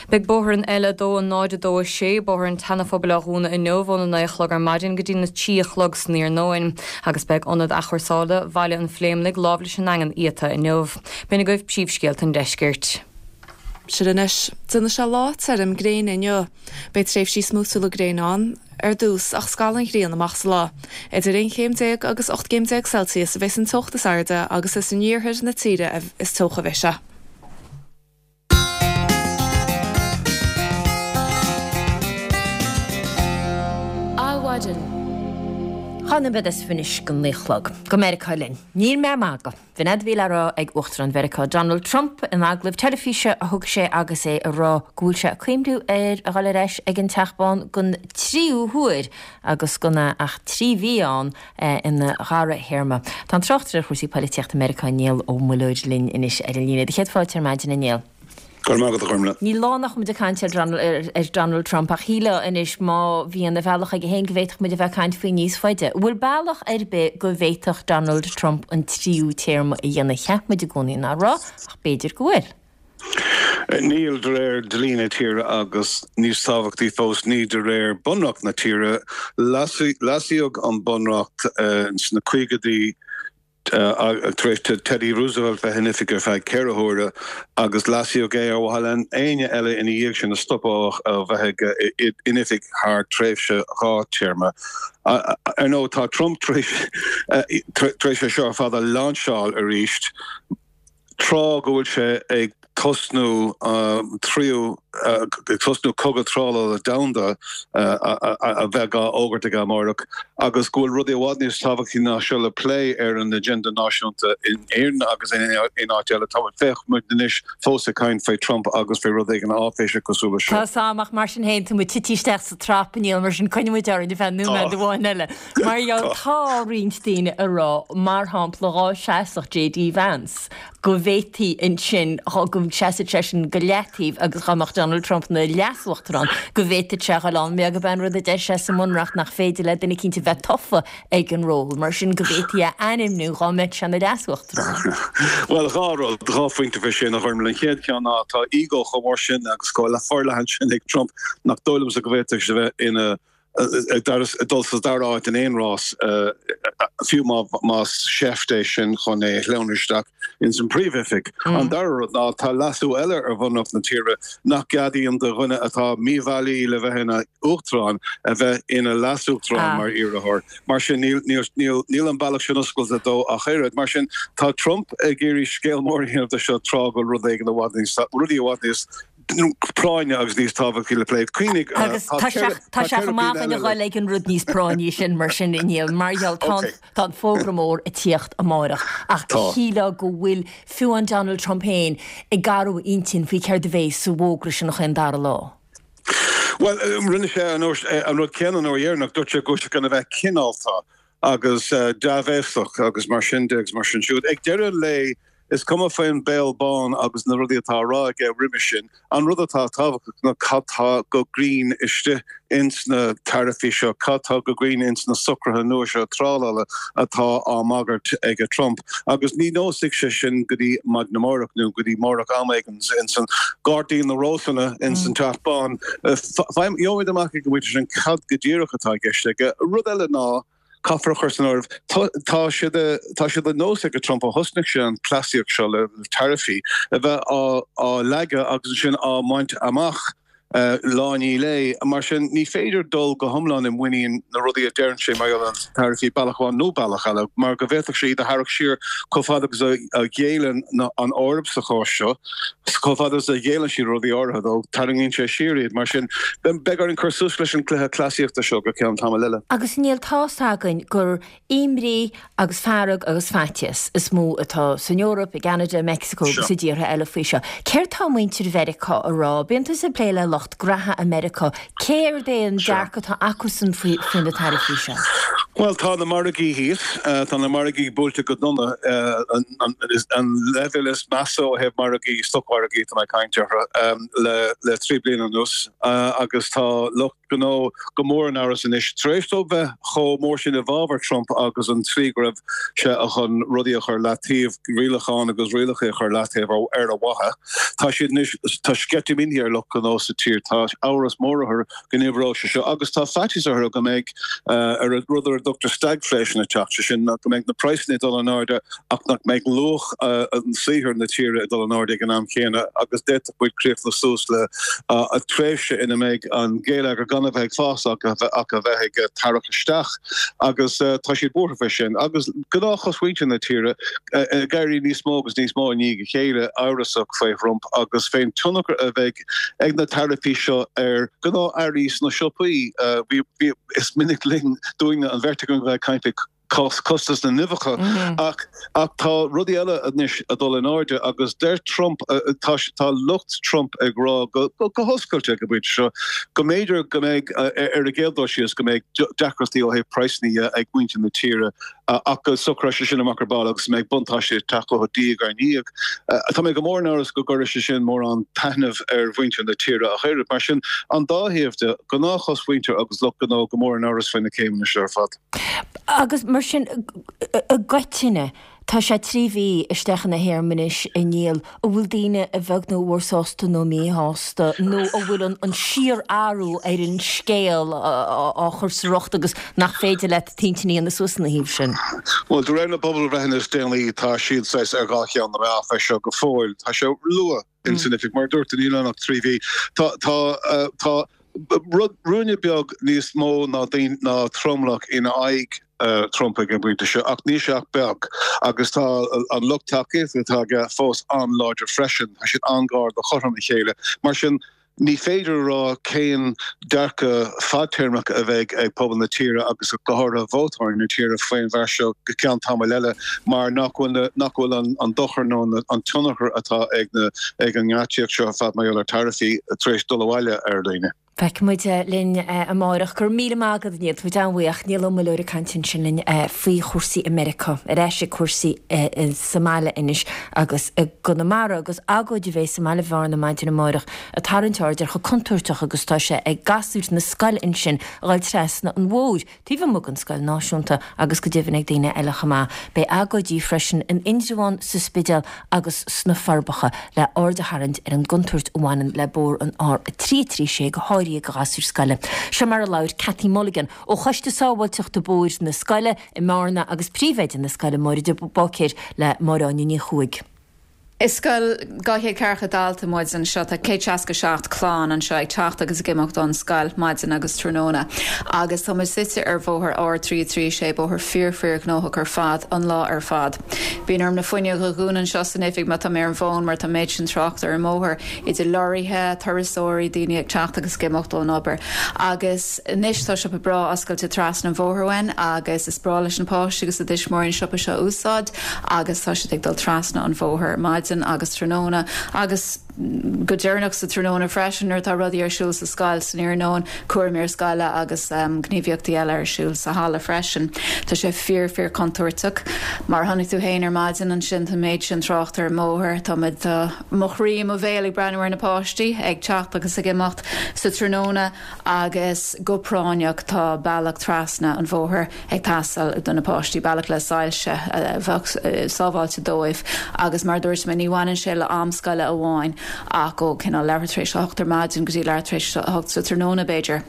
Beidh bóthar an L a dó a náid a dó a sé, Bóthar an tSeanaphobail á dhúnadh inniu óna naoi a chlog ar maidin go dtí na trí a chlog san iarnóin agus beidh Ionad Athchúrsála Bhaile an Phléimligh lámh leis an nDaingean iata inniu. B'in agaibh príomhscéalta an deiscirt. Sin anois. Déanfaidh sé lá tirim gréine inniu. Beidh tréimhsí smúitiúla gréine ann ar dtús ach scalfaidh an ghrian amach sa lá. Idir aon chéim déag agus ocht gcéim déag Celsius a bheas an teocht is airde agus is in iarthar na tíre is teocha a bheidh sé. Adhmhaidin. Dhá nóiméad is fiche anois go naoi a chlog. Go Meiriceá linn. Níl mé ag magadh. B'in é a bhí le rá ag Uachtarán Mheiriceá Donald Trump in agallamh teilifíse a thug sé agus é ag rá go bhfuil sé ag cuimhniú ar a dhul ar ais ag an Teach Bán don tríú huair agus gan é ach trí mhí ann ina dhara théarma. Tá an tráchtaire ar chúrsaí polaitíochta Meiriceá Niall Ó Muilleoir linn anois ar an líne. Do chéad fáilte ar maidin, a Néill. Go raibh maith agat, a Ghormfhlaith. Níl lá nach muid ag caint ar ar Donald Trump ach shílfeá anois má bhíonn a bhealach aige féin go bhféadfadh muid a bheith ag caint faoi níos faide. An bhfuil bealach ar bith go bhféadfadh Donald Trump an tríú téarma a dhéanamh? Cheap muid i gcónaí nach raibh, ach b'fhéidir go bhfuil. Níl de réir dlí na tíre agus, níos tábhachtaí fós, ní de réir bunreacht na tíre. Leasaíodh an bunreacht sna caogaidí tar éis do Teddy Roosevelt bheith in oifig ar feadh ceithre huaire agus leasaíodh é ar mhaithe le éinne eile ina dhiaidh sin a stopadh ó bheith in oifig thar tréimhse dhá téarma. Ar ndóigh, tá Trump tar éis é seo ar fad a lainseáil arís tráth go bhfuil sé ag tosnú tríú ag tosnú cogadh trádála domhanda a bheith á fhógairt aige amárach agus go bhfuil rudaí i bhfad níos tábhachtaí ná seo le plé ar an agenda náisiúnta in Éirinn agus in áit eile. Tá féach muid anois fós ag caint faoi Trump agus faoi rud éigin áiféiseach cosúil leis seo. Tá 's a'm ach mar sin féin tá muid tite isteach sa trap a Niall mar sin coinneoidh muid orainn ar feadh nóiméad amháin eile. Mar gheall tá roinnt daoine ag rá mar shampla dhá seasfadh JD Vance go bhféadfaí ansin go seasfadh seisean go leataobh agus dhá mbeadh Donald Trump ina leasuachtarán go bhféadfadh sé a dhul ann mar gurb é an rud a deir sé sa mBunreacht nach féidir le duine eicínt a bheith tofa ag an ról mar sin go bhféadfaí a ainmniú dhá mbeadh sé ina leasuachtarán. Bhuel dhá rud, dhá phointe faoi sin a Ghormfhlaith. An chéad cheann ná tá ego chomh mór sin agus chomh forleathan sin ag Trump nach dóigh liomsa go bhféadfadh sé a bheith ina ag dul sa dara háit in aon rás, fiú más seift é sin chun é a shleamhnú isteach ins an bpríomhoifig. An dara rud ná tá leasú eile ar bhunreacht na tíre nach gceadaíonn do dhuine atá míbhailí le bheith ina uachtarán a bheith ina leasuachtarán mar iarrthóir. Mar sin níl an bealach sin oscailte dó ach oiread. Mar sin tá Trump ag iarraidh scéal mór a dhéanamh de seo tráth go bhfuil rud éigin i bhfad níos, rudaí i bhfad níos práinne agus níos tábhachtaí le plé. Cuimhnigh, Agus tá sé tá sé chomh maith againn a dhul ag an rud níos práinní sin mar sin a Niall, mar gheall tá tá an fógra mór ag tíocht amárach ach shílfeá go bhfuil fiú an Donald Trump féin ag athrú a intinn faoi céard a bheidh sa bhfógra sin chaon dara lá. Bhuel, rinne sé an rud céanna an uair dheireanach, dúirt sé go raibh sé chun a bheith cineálta agus dea-bhéasach agus mar sin de agus mar sin siúd. Ag deireadh an lae, Is cuma faoin béal bán agus na rudaí atá á rá aige roimhe sin, an rud atá tábhachtach ná cad tá go cruinn istigh ins na taraifí seo, cad tá go cruinn ins na socruithe nua seo trádála atá á mbagairt ag Trump. Agus ní neosfaidh sé sin go dtí maidin amárach nó go dtí amárach am éigin ins an gairdín na rósanna ins an Teach Bán. Gheobhaimid amach ag an bpointe sin cad go díreach atá i gceist aige. Rud eile ná. Caithfear a chur san áireamh, tá sé de tá sé de nós ag Trump ó thosnaigh sé an cleasaíocht seo le taraifí a bheith á á leagadh agus ansin á mbaint amach lá i ndiaidh lae. Mar sin ní féidir dul go hiomlán i muinín na rudaí a deireann sé mar gheall ar na taraifí bealach amháin nó bealach eile mar go bhféadfadh sé iad a tharrac siar chomh fada agus a ghéilleann an Eoraip sa chás seo. Chomh fada is a ghéilleann siad rudaí áirithe dó, tarraingíonn sé siar iad. Mar sin, beidh orainn cur suas leis an gcluiche cleasaíochta seo go ceann tamaill eile. Agus níl tá's againn gur imní agus fearg agus faitíos is mó atá san Eoraip, i gCeanada, i Meicsiceo agus i dtíortha eile faoi seo. Céard tá muintir Mheiriceá a rá? Bíonn tusa ag plé le lucht graithe i Meiriceá. Céard é an dearcadh atá acusan faoi na taraifí seo? Bhuel, tá na margaí thíos, tá na margaí buailte go dona, an leibhéal is measa ó thaobh margaí, stocmhargaí atá mé ag caint orthu, le trí bliana anuas agus tá lucht gnó go mór in amhras anois. Tar éis dóibh bheith chomh mór sin i bhfabhar Trump agus an tslí go raibh sé chun rudaí a chur leataobh, rialacháin agus rialacha a chur leataobh ar a mhaithe, tá siad anois, tá sceitimíní ar lucht gnó sa tír, tá amhras mór orthu go n-oibreoidh sé seo agus tá faitíos orthu go mbeidh ar rud ar a dtugtar stagflation ag teacht, sé sin go mbeidh na praghsanna ag dul in airde ach nach mbeidh luach an saothair na tíre ag dul in airde ag an am chéanna agus d'fhéadfadh muid críochnú suas le tréimhse ina mbeidh an geilleagar gan a bheith ag fás ach a bheith ag tarrac isteach agus tá siad buartha faoi sin agus gnáthchosmhuintir na tíre ag éirí níos mó agus níos mó i ndiaidh a chéile amhrasach faoi Thrump agus fén tionchar a bheidh ag na taraifí seo ar ghnáth-earraí sna siopaí. Bhí, is minic linn, dúinne, an bheirt againn, a bheith ag caint faoi chostas na n-uibheacha ach ach tá rudaí eile anois ag dul in airde agus deir Trump, tá tá lucht Trump ag rá go go hoscailte ag an bpointe seo go mb'fhéidir go mbeidh ar an gcéad dul síos go mbeidh deacrachtaí ó thaobh praghsanna dhe ag muintir na tíre. ach go socróidh sé sin amach ar ball agus go mbeidh buntáistí ag teacht chucu diaidh ar ndiaidh. Tá mé go mór in amhras go gcuirfidh sé sin mórán taitnimh ar mhuintir na tíre ach oiread. Mar sin, an dá thaobh de, gnáthchosmhuintir agus lucht gnó go mór in amhras faoi na céimeanna seo ar fad. Agus mar sin, i gcoitinne, tá sé trí mhí isteach ina théarma anois, a Niall, an bhfuil daoine a bheag nó a mhór sásta nó míshásta nó an bhfuil an síorathrú ar an scéal á chur sa riocht agus nach féidir leat t'intinn a dhéanamh suas ina thaobh sin? Bhuel, de réir na bpobalbhreitheanna is déanaí, tá siad saghas ar dhá cheann na meá fé seo go fóill. Tá sé luath ins an oifig. Mar a dúirt tú, níl ann ach trí mhí. Tá, tá, tá rud, ruainne beag níos mó ná daoine, ná tromlach ina aghaidh Trump ag an bpointe seo, ach níl sé ach beag agus tá an lucht tacaíochta atá aige fós an-láidir freisin. Tá siad an-ghar do chothrom a chéile. Mar sin, Ní féidir a rá cén dearcadh fadtéarmach a bheidh ag pobal na tíre agus go háirithe vótóirí na tíre faoin bheart seo go ceann tamaill eile mar nach bhfuil nach bhfuil an an dochar nó an tionchar atá ag na ag an ngeáitsíocht seo ar fad mar gheall ar taraifí tar éis dul abhaile ar dhaoine. Feicfidh muid linn amárach. Go raibh míle maith agat Niall, tá muid an-bhuíoch. Niall Ó Muilleoir ag caint ansin linn faoi chúrsaí i Meiriceá. Ar ais ag cúrsaí sa mbaile anois agus i gConamara agus agóid a bheas i mbaile Bhearna maidin amárach ag tarraingt aird ar chomh contúirteach agus atá sé ag gasúir na scoile ansin a dhul trasna an bhóthair taobh amuigh den scoil náisiúnta agus go deimhin ag daoine eile chomh maith. Beidh agóidí freisin in Indreabhán, sa Spidéal agus sna Forbacha le aird a tharraingt ar an gcontúirt a bhaineann le bóthar an R a trí trí sé go háirithe do ghasúir scoile. Seo mar a labhair Cathy Mulligan ó Choiste Sábháilteachta Bóthair na scoile i mBearna agus príomhoide na scoile Máire de Búicéir le Máire Áine Ní Chuaig. Is scoil dhá chéad ceathracha dalta muid anseo, tá céad seasca seacht clann anseo ag teacht agus ag imeacht ón scoil maidin agus tráthnóna. Agus tá muid suite ar bhóthar R trí trí sé, bóthar fíor fíor ghnóthach ar fad an lá ar fad. Bíonn orm na fuinneoga a dhúnadh anseo san oifig má tá mé ar an bhfón mar tá an méid sin tráchta ar an mbóthar, idir lorraithe, turasóirí, daoine ag teacht agus ag imeacht ón obair. Agus anois tá siopa breá oscailte trasna an bhóthair uainn agus is breá leis na páistí agus a dtuismitheoirí an siopa seo a úsáid agus tá siad ag dul trasna an bhóthair maidin agus tráthnóna agus go deireanach sa tráthnóna freisin nuair atá rudaí ar siúl sa scoil san iarnóin, cúraimí ar scoile agus gníomhaíochtaí eile ar siúl sa halla freisin. Tá sé fíor fíor contúirteach. Mar a chonaic tú féin ar maidin ansin tá an méid sin tráchta ar an mbóthar, tá muid tá mo chroí i mo bhéal ag breathnú ar na páistí ag teacht agus ag imeacht sa tráthnóna agus go práinneach tá bealach trasna an bhóthair ag teastáil do na páistí, bealach le soilse a bheadh sábháilte dóibh agus mar a dúirt mé ní bhaineann sé le am scoile amháin ach ó cineál leathuair tar éis a hocht ar maidin go dtí leathuair tar éis a hocht sa tráthnóna b'fhéidir.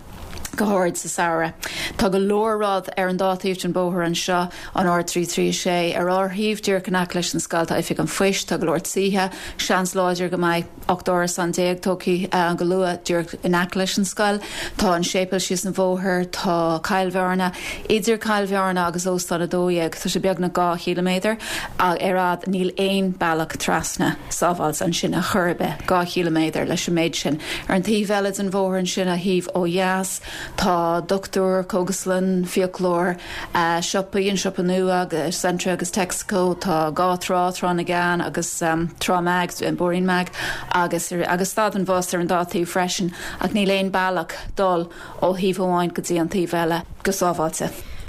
go hard sa samhradh. Tá go leor rud ar an dá taobh den bóthar anseo, an R trí trí sé. Ar ár thaobh díreach in aice leis an scoil tá Oifig an Phoist, tá go leor tithe, seans láidir go mbeidh ocht árasán déag tógtha go luath díreach in aice leis an scoil. Tá an séipéal síos an bhóthar, tá Cill Bhearna. Idir Cill Bhearna agus Óstán a dó dhéag, tá sé beagnach dhá chíliméadar ar fhad, níl aon bealach trasna sábháilte ansin ar chor ar bith, dhá chíliméadar leis an méid sin. Ar an taobh eile den bhóthar ansin, an taobh ó dheas, Tá dochtúir, cógaslann, fiaclóir, siopaí, an siopa nua agus Centra agus Texaco, tá dhá trá, Trá na gCeann agus Trá Meaig, Bóithrín Meaig agus agus stad an bhus ar an dá taobh freisin ach níl aon bealach dul ó thaobh amháin go dtí an taobh eile go sábháilte.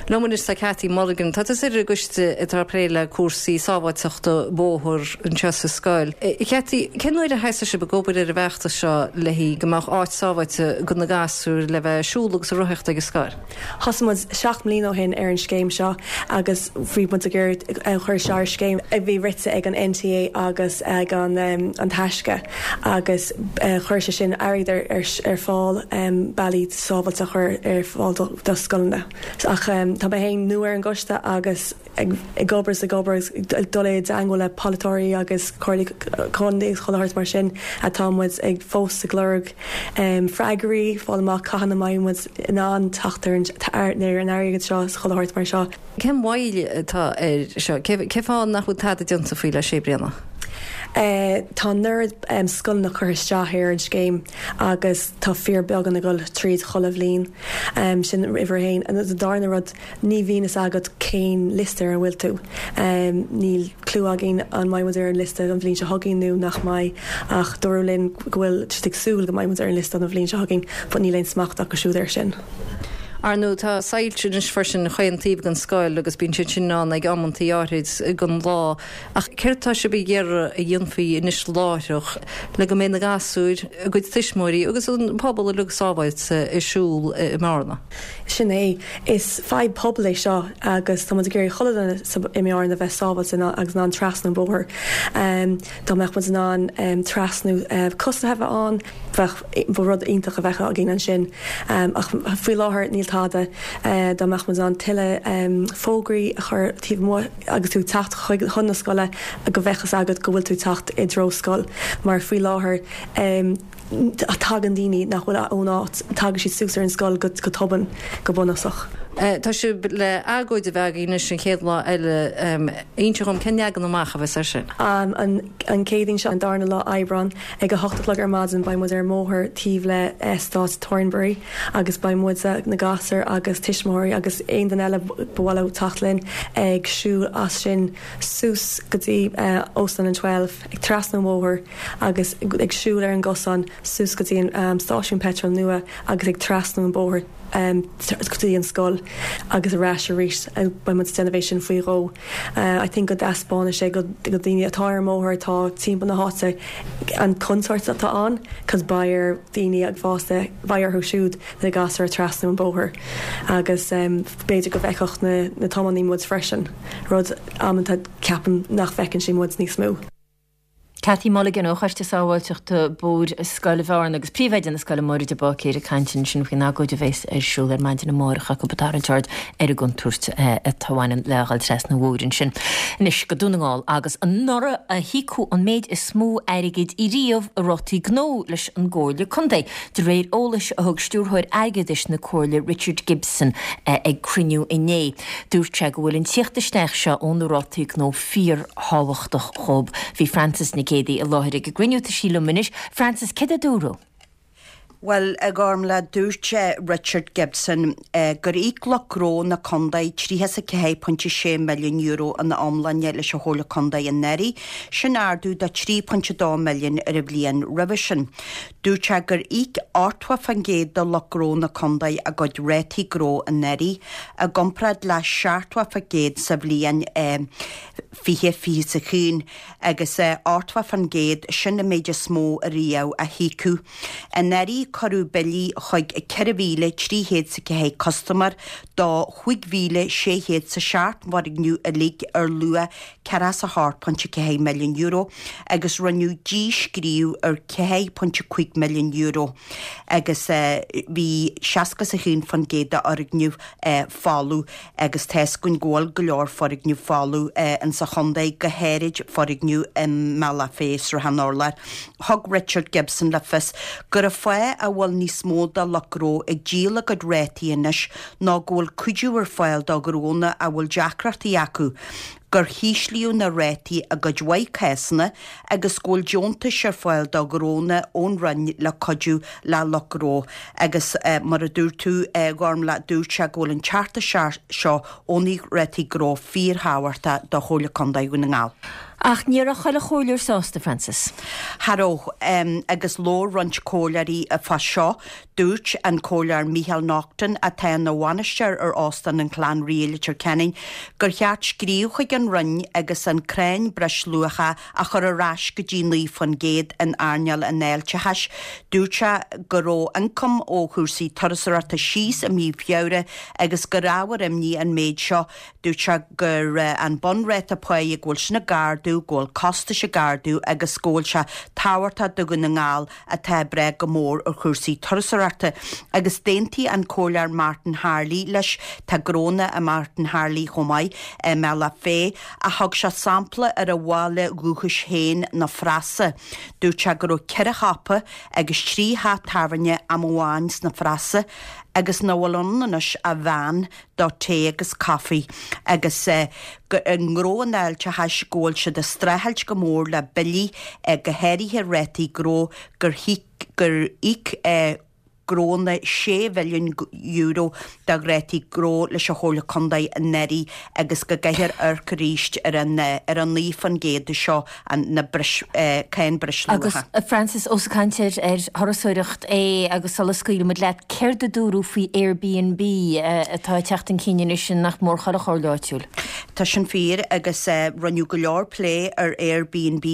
Liom anois tá Cathy Mulligan. Tá tusa ar an gcoiste atá ag plé le cúrsaí sábháilteachta bóthair anseo sa scoil. Cathy, cén uair a thosaigh sibh ag obair ar an bhfeachtas seo le haghaidh go mbeadh áit sábháilte do na gasúir le bheith ag siúl agus ag rothaíocht ag an scoil? Thosaigh muid seacht mbliana ó shin ar an scéim seo agus bhí muid ag iarraidh cur isteach ar scéim a bhí rite ag an N T A agus ag an An Taisce agus chuir sé sin airgead ar fáil bealaí sábháilte a chur ar fáil do scoileanna. Ach tá mé féin nua ar an gcoiste agus ag obair is ag obair agus dul i dteagmháil le polaiteoirí agus comhairlí contae agus chuile shórt mar sin atá muid ag fós ag lorg freagraí, fáil amach cathain a mbeidh muid in ann teacht ar an airgead seo is chuile shórt mar seo. Cén mhoill atá air seo? Cén fáth nach bhfuil tada déanta faoi le sé bliana? Tá an oiread scoileanna curtha isteach ar an scéim agus tá fíorbheagán ag dul tríd chuile bhliain. Sin uimhir a haon. An darna rud, ní bhíonn fhios agat cén liosta ar a bhfuil tú. Níl clue againn an mbeidh muid ar an liosta an bhliain seo chugainn nó nach mbeidh ach dúradh linn go bhfuil siad ag súil go mbeidh muid ar an liosta an bhliain seo chugainn but níl aon smacht acu siúd air sin. Ar ndóigh tá soilse anois freisin chaon taobh den scoil agus bíonn siad sin ann ag amantaí áirid den lá. Ach céard atá sibh ag iarraidh a dhéanfaí anois láithreach le go mbeidh na gasúir, a gcuid tuismitheoirí agus an pobal uilig sábháilte ag siúl i mBearna? Sin é. Is fadhb pobail é seo agus tá muid ag iarraidh chuile dhuine i mBearna bheith sábháilte agus in ann trasnú an bóthar. Dá mbeadh muid in ann trasnú coisithe a bheith ann, bheadh ba rud iontach a bheadh againn ansin ach faoi láthair níl tada. Dá mbeadh muid in ann tuilleadh fógraí a chur taobh amuigh agus tú ag teacht chuig chun na scoile go mbeadh fhios agat go bhfuil tú ag teacht i dtreo scoil mar faoi láthair tagann daoine nach bhfuil ón áit, tagann siad suas ar an scoil go go tobann go bunúsach. Tá sibh le agóid a bheith agaibh anois an chéad lá eile. Inis dom cén leagan amach a bheas air sin? An an Chéadaoin seo an darna lá Aibreán ag a hocht a chlog ar maidin beidh muid ar an mbóthar taobh le eastát Thornbury agus beidh muid na gasúir agus tuismitheoirí agus aon duine eile ba mhaith leo teacht linn ag siúl as sin suas go dtí Óstán an Twelve ag trasna an bhóthair agus ag siúl ar an gcosán suas go dtí an stáisiún peitril nua agus ag trasnú an bóthar go dtí an scoil agus ar ais arís beidh muid ag déanamh é sin faoi dhó. I think go dtaispeánfaidh sé go daoine atá ar an mbóthar atá timpeall na háite an contúirt atá ann cos beidh ar daoine ag fásta beidh orthu siúd na gasúir trasnú an bóthar agus b'fhéidir go bhfeicfeadh na na tiománaí muid freisin rud amanta ceapaim nach bhfeiceann siad muid níos mó. Cathy Mulligan ó Choiste Sábháilteachta Bóthair Scoil Bhearna agus príomhoide na scoile Máire de Báicéir ag caint ansin faoin agóid a bheas ar siúl ar maidin amárach acu ag tarraingt aird ar an gcontúirt atá bhaineann le dhul trasna an bhóthair ansin. Anois go Dún na nGall agus anuraidh a híocadh an méid is mó airgid riamh i rátaí gnó leis an gComhairle Contae, de réir eolais a thug stiúrthóir airgeadais na Comhairle Richard Gibson ag cruinniú inné. Dúirt sé go bhfuil an tíocht isteach seo ó na rátaí gnó fíorthábhachtach dóibh. Bhí Frances Nic Géadaigh i láthair ag an gcruinniú tá sí liom anois. Frances, céard a dúradh? Bhuel, a Ghormlaith, dúirt Richard Gibson gur íoc lucht gnó na contae tríocha is a ceathair pointe sé milliún euro ina iomláine leis an Chomhairle Contae anuraidh, sin ardú de trí pointe dó milliún ar an bhliain roimhe sin. Dúirt sé gur íoc ochtó faoin gcéad de lucht gnó na contae a gcuid rátaí gnó anuraidh, i gcomparáid le seachtó faoin gcéad sa bhliain fiche fiche is a haon, agus ochtó faoin gcéad, sin an méid is mó ariamh a híocadh. Anuraidh cuireadh billí chuig ceithre mhíle trí chéad is a ceathair custaiméir do chúig mhíle sé chéad is a seacht bhfoirgneamh uilig ar luach ceathracha is a hocht pointe ceathair milliún euro agus rinneadh díscríobh ar ceathair pointe cúig milliún euro agus bhí seasca is a haon faoin gcéad d'fhoirgnimh folamh agus tá a fhios againn go bhfuil go leor foirgneamh folamh insa chontae, go háirid foirgneamh i mBealach Féich, Srath an Urláir. Thug Richard Gibson le fios gur an fáth a bhfuil níos mó de lucht gnó ag díol a gcuid rátaí anois ná go bhfuil cuidiú ar fáil do ghnónna a bhfuil deacrachtaí acu, gur híslíodh na rátaí i gcuid mhaith cásanna agus go bhfuil deontais ar fáil do ghnónna ón Roinn le cuidiú le lucht gnó. Agus mar a dúirt tú, a Ghormlaith, dúirt sé go bhfuil an teacht isteach seo ó na rátaí gnó fíorthábhachtach do Chomhairle Contae Dhún na nGall. Ach ní raibh chuile chomhairleoir sásta, Frances. Cha raibh, agus labhair roinnt comhairleoirí fá seo. Dúirt an Comhairleoir Micheál Naughton, atá ina bhainisteoir ar Óstán an Chlann Rí i Leitir Ceanainn, gur cheart scríobh chuig an Roinn agus an cáin breisluacha a chur ar ais go dtí naoi faoin gcéad in earnáil an fháilteachais. Dúirt sé go raibh ioncam ó chúrsaí turasóireachta síos i mí Feabhra agus gur ábhar imní an méid seo. Dúirt sé gur an bunráta páí go bhfuil sin ag ardú, go bhfuil costais ag ardú agus go bhfuil sé tábhachtach do Dhún na nGall atá ag brath go mór ar chúrsaí turasóireachta. Agus d'aontaigh an Comhairleoir Martin Harley leis, tá gnónna ag Martin Harley chomh maith i mBealach Féich, ach thug sé sampla ar a bhaile dhúchais féin, na Frasa. Dúirt sé go raibh ceithre shiopa agus trí theach tábhairne am amháin sna Frasa agus nach bhfuil ann anois ach veain do tae agus caife agus i ngnó an fháilteachais go bhfuil siad ag streachailt go mór le billí, go háirithe rátaí gnó gur gur íoc gnónna sé mhilliún euro de rátaí gnó leis an Chomhairle Contae anuraidh agus go gcaithfear amharc arís ar an ar an naoi faoin gcéad seo an na breis cáin Agus breisluacha. a Frances, ós ag caint ar ar thurasóireacht é agus sula scaoilfidh muid leat, céard a dúradh faoi Airbnb atá ag teacht chun cinn anois in nach mór chuile chomhairle áitiúil? Tá sin fíor agus rinneadh go leor plé ar Airbnb.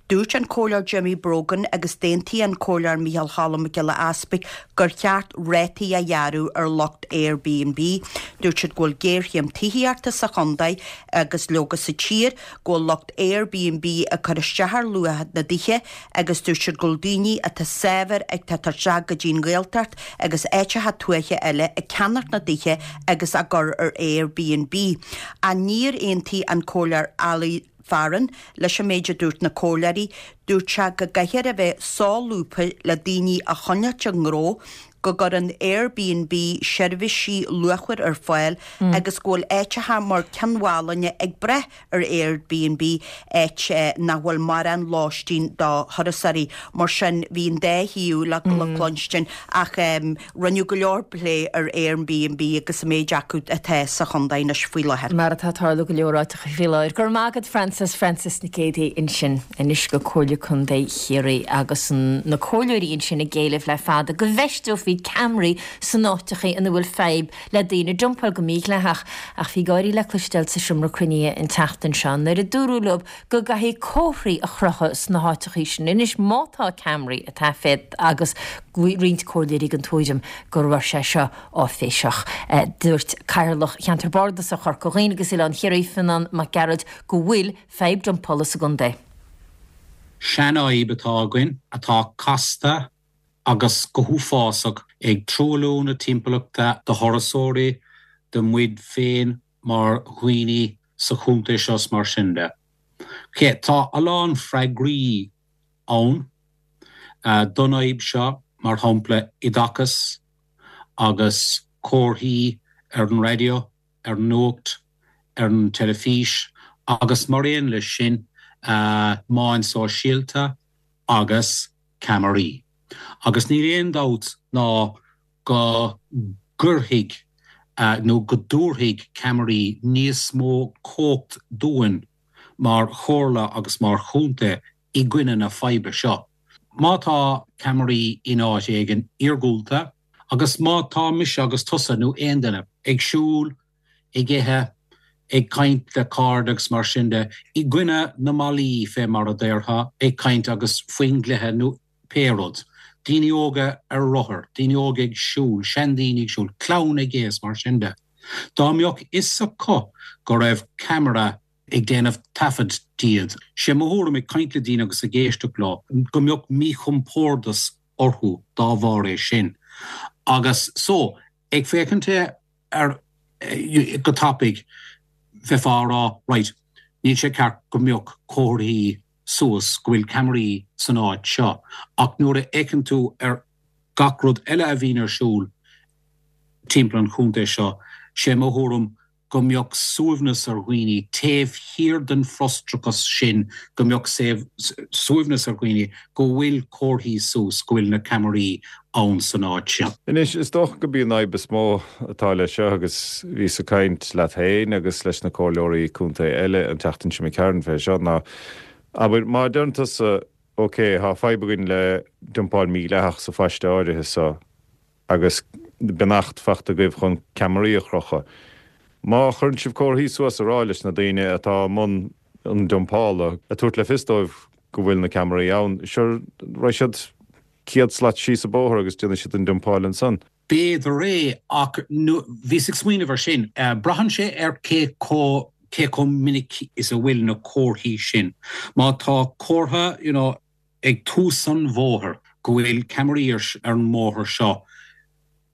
Dúirt an Comhairleoir Jimmy Brogan agus d'aontaigh an Comhairleoir Micheál Cholm Mac Giolla Easpaig gur cheart rátaí a ghearradh ar lucht Airbnb. Dúirt siad go bhfuil géarchéim tithíochta sa chontae agus leoga sa tír, go bhfuil lucht Airbnb ag cur isteach ar luach na dtithe agus dúirt siad go bhfuil daoine atá saibhir ag teacht isteach go dtí an Ghaeltacht agus áiteacha tuaithe eile ag ceannacht na dtithe agus á gcur ar Airbnb. Ach níor aontaigh an Comhairleoir Ali Farren leis an méid a dúirt na comhairleoirí, dúirt sé go gcaithfear a bheith solúbtha le daoine a choinneáilt i ngnó, go gcuireann Airbnb seirbhísí luachmhar ar fáil agus go bhfuil áiteacha mar Cionn Mhálanna ag brath ar Airbnb, áit nach bhfuil mórán lóistín do thurasóirí. Mar sin, bhí an dá thaobh le cluinstin ach rinneadh go leor plé ar Airbnb agus an méid acu atá sa chontae anois faoi láthair. Mar atá ag tarlú go leor áiteacha faoi láthair. Go raibh maith agat Frances, Frances Nic Géadaigh ansin anois go Comhairle Contae Chiarraí agus na comhairleoirí ansin ag éileamh le fada go bhfeisteofaí ceamaraí san áiteacha ina bhfuil fadhb le daoine ag dumpáil go mídhleathach. Ach bhí gáirí le cloisteáil sa seomra cruinnithe an tseachtain seo nuair a dúradh leo go gcaithfidh comharthaí a chrochadh sna háiteacha sin anois má tá ceamaraí ag taifead agus roinnt comhairleoirí den tuairim go raibh sé seo áiféiseach. Dúirt Cathaoirleach Cheantar Bardasach Chorca Dhuibhne agus Oileán Chiarraí, Fionán Mac Gearailt, go bhfuil fadhb dumpála sa gcontae. Seanfhadhb atá againn atá casta agus go huafásach, ag truailliú na timpeallachta do thurasóirí, do muid féin mar dhaoine sa chontae seo is mar sin de. Ok, tá a lán freagraí ann don fhadhb seo, mar shampla oideachas agus comharthaí ar an raidió, ar an nuacht, ar an teilifís agus mar aon leis sin meáin sóisialta agus ceamaraí. Agus níl aon dabht ná go gcuirfidh nó go dtabharfaidh ceamaraí níos mó cumhacht dúinn mar chomhairle agus mar chontae i gcoinne na faidhbe seo. Má tá ceamaraí in áit éigin iargúlta agus má tá mise agus tusa nó aon duine ag siúl, ag ithe, ag caint le cairde agus mar sin de, i gcoinne na mballaí fé mar a déarfá, ag caint agus faoin gcluiche nó pé rud, daoine óga ar rothair, daoine óga ag siúl, seandaoine ag siúl, clann ag ithe is mar sin de. Dá mbeadh fhios acu go raibh ceamara ag déanamh taifead díobh, sé mo thuairim ag caint le daoine agus ag éisteacht leo, go mbeadh míchompordas orthu dá bharr é sin. Agus so, ag féachaint air go tapaidh, bheifeá á rá, right, níl sé ceart go mbeadh comharthaí suas go bhfuil ceamaraí san áit seo, ach nuair a fhéachann tú ar gach rud eile a bhíonn ar siúl timpeall an chontae seo, sé mo thuairim go mbeadh suaimhneas ar dhaoine taobh thiar den frustrachas sin, go mbeadh suaimhneas ar dhaoine go bhfuil comharthaí suas go bhfuil na ceamaraí ann san áit seo. Anois, is dócha go b'í an fhadhb is mó atá leis seo, agus bhíos ag caint leat féin agus leis na comhairleoirí contae eile an tseachtain seo imigh tharainn fé seo, ná, abair, má deireann tusa, ok, tá fadhb againn le dumpáil mhídhleathach sa phaiste áirithe seo agus beannacht fachta agaibh chun ceamaraí a chrochadh. Má chuireann sibh comharthaí suas a rá leis na daoine atá i mbun an dumpála, ag tabhairt le fios dóibh go bhfuil na ceamaraí ann, sure, raghaidh siad céad slat síos an bóthar agus déanfaidh siad an dumpáil ansan. B'fhéidir é, ach bhíos ag smaoineamh ar sin. Braitheann sé ar cé chomh cé chomh minic is a bhfuil na comharthaí sin. Má tá comhartha, you know, ag tús an bhóthair go bhfuil ceamaraí ar an mbóthar seo,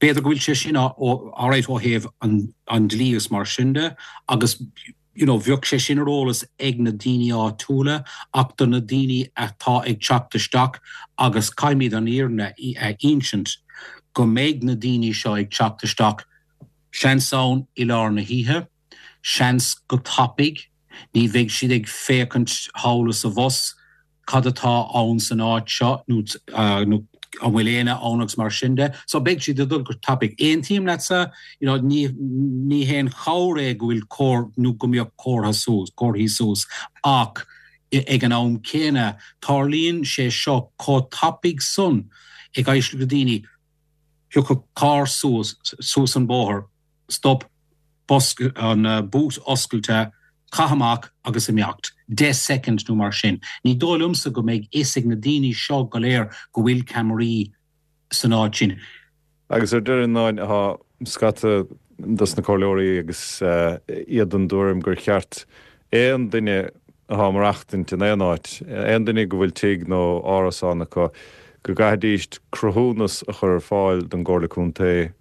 b'fhéidir go bhfuil sé sin alright ó thaobh an dlí is mar sin de agus you know bheadh sé sin ar eolas ag na daoine áitiúla ach do na daoine atá ag teacht isteach agus caithfimid an fhírinne a insint go mbeidh na daoine seo ag teacht isteach seans ann i lár na hoíche, seans go tapaidh, ní bheidh siad ag féachaint thall is abhus cad atá ann san áit seo nó nó an bhfuil éinne ann agus mar sin de. So beidh siad ag dul go tapaidh. Aontaím leatsa, you know, ní ní haon chabhair é go bhfuil comhar nó go mbeadh comhartha suas, comharthaí suas ach ag an am céanna tarlaíonn sé seo chomh tapaidh san ag éisteacht le daoine, thiocfadh carr suas suas an bóthar, stop, bosca, an boot oscailte, caith amach agus imeacht. Deich soicind nó mar sin. Ní dóigh liomsa go mbeidh fhios ag na daoine seo go léir go bhfuil ceamaraí san áit sin. Agus ar deireadh, a Fhionáin, tá scata dos na comhairleoirí agus iad den dtuairim gur cheart aon duine atá ag maireachtaint in aon áit, aon duine go bhfuil tigh nó árasán acu, go gcaithfidíst cruthúnas a chur ar fáil don gComhairle Contae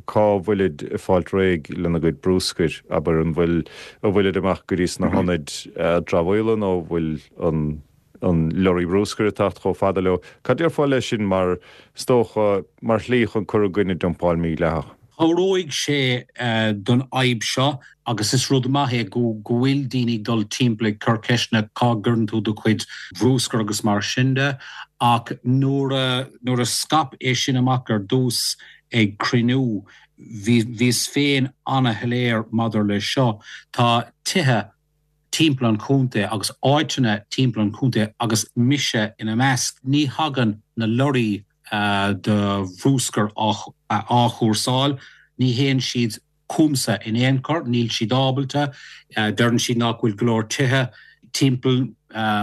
cá bhfuilid ag fáilt réidh lena gcuid brúscair, abair, an bhfuil, an bhfuilid amach go dtí sna hionaid dramhaíola nó an bhfuil an, an lorry brúscair ag teacht chomh fada leo. Cad déarfá leis sin mar, is dócha, mar shlí chun cur i gcoinne dumpáil mhídhleathach? Cabhróidh sé don fhadhb seo agus is rud maith é go bhfuil daoine ag dul timpeall ag cur ceisteanna cá gcuireann tú do chuid bhrúscair agus mar sin de ach nuair a nuair a scaip é sin amach ar dtús ag cruinniú bhí bhíos féin ana-shoiléir maidir leis seo. Tá tithe timpeall an chontae agus áiteanna timpeall an chontae agus mise ina measc ní thagann na lorraí do bhrúscar á chúrsáil. Ní théann siad chugamsa in aon chor, níl siad ábalta. Deireann siad nach bhfuil go leor tithe timpeall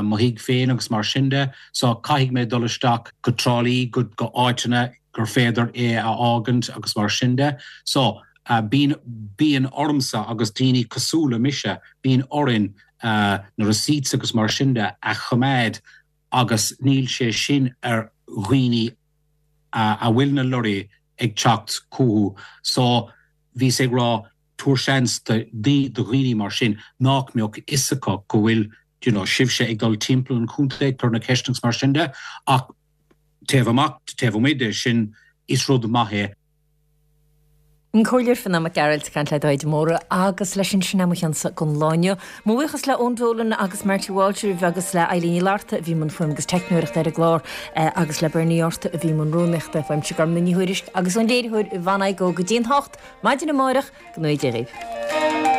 mo thigh féin agus mar sin de, so caithfidh mé dul isteach go Trá Lí, go áiteanna gur féidir é a fhágaint agus mar sin de. So bíonn, bíonn ormsa agus daoine cosúil le mise, bíonn orainn na receipts agus mar sin de a choimeád agus níl sé sin ar dhaoine a bhfuil na lorraí ag teacht chucu so bhíos ag rá tabhair seans do dhaoine mar sin nach mbeadh fhios acu go bhfuil you know sibhse ag dul timpeall an chontae ag cur na ceisteanna agus mar sin de ach taobh amach taobh amuigh de sin is rud maith é. An Comhairleoir Fionán Mac Gearailt ag caint le Dáithí de Mórdha agus leis sin sin é mo chionsa don lá inniu. Mo bhuíochas le Eoin Dolan agus Marty Walsh agus le Eileen Ní Fhlatharta a bhí i mbun fuaime agus teicneoireachta ar an gclár agus le Bernie Arthur a bhí i mbun rúnaíochta. Uaimse Gormlaith Ní Thuairisg agus ón léiritheoir Yvonne Igoe go dtí an hocht maidin amárach go ngnóthaí Dia dhaoibh.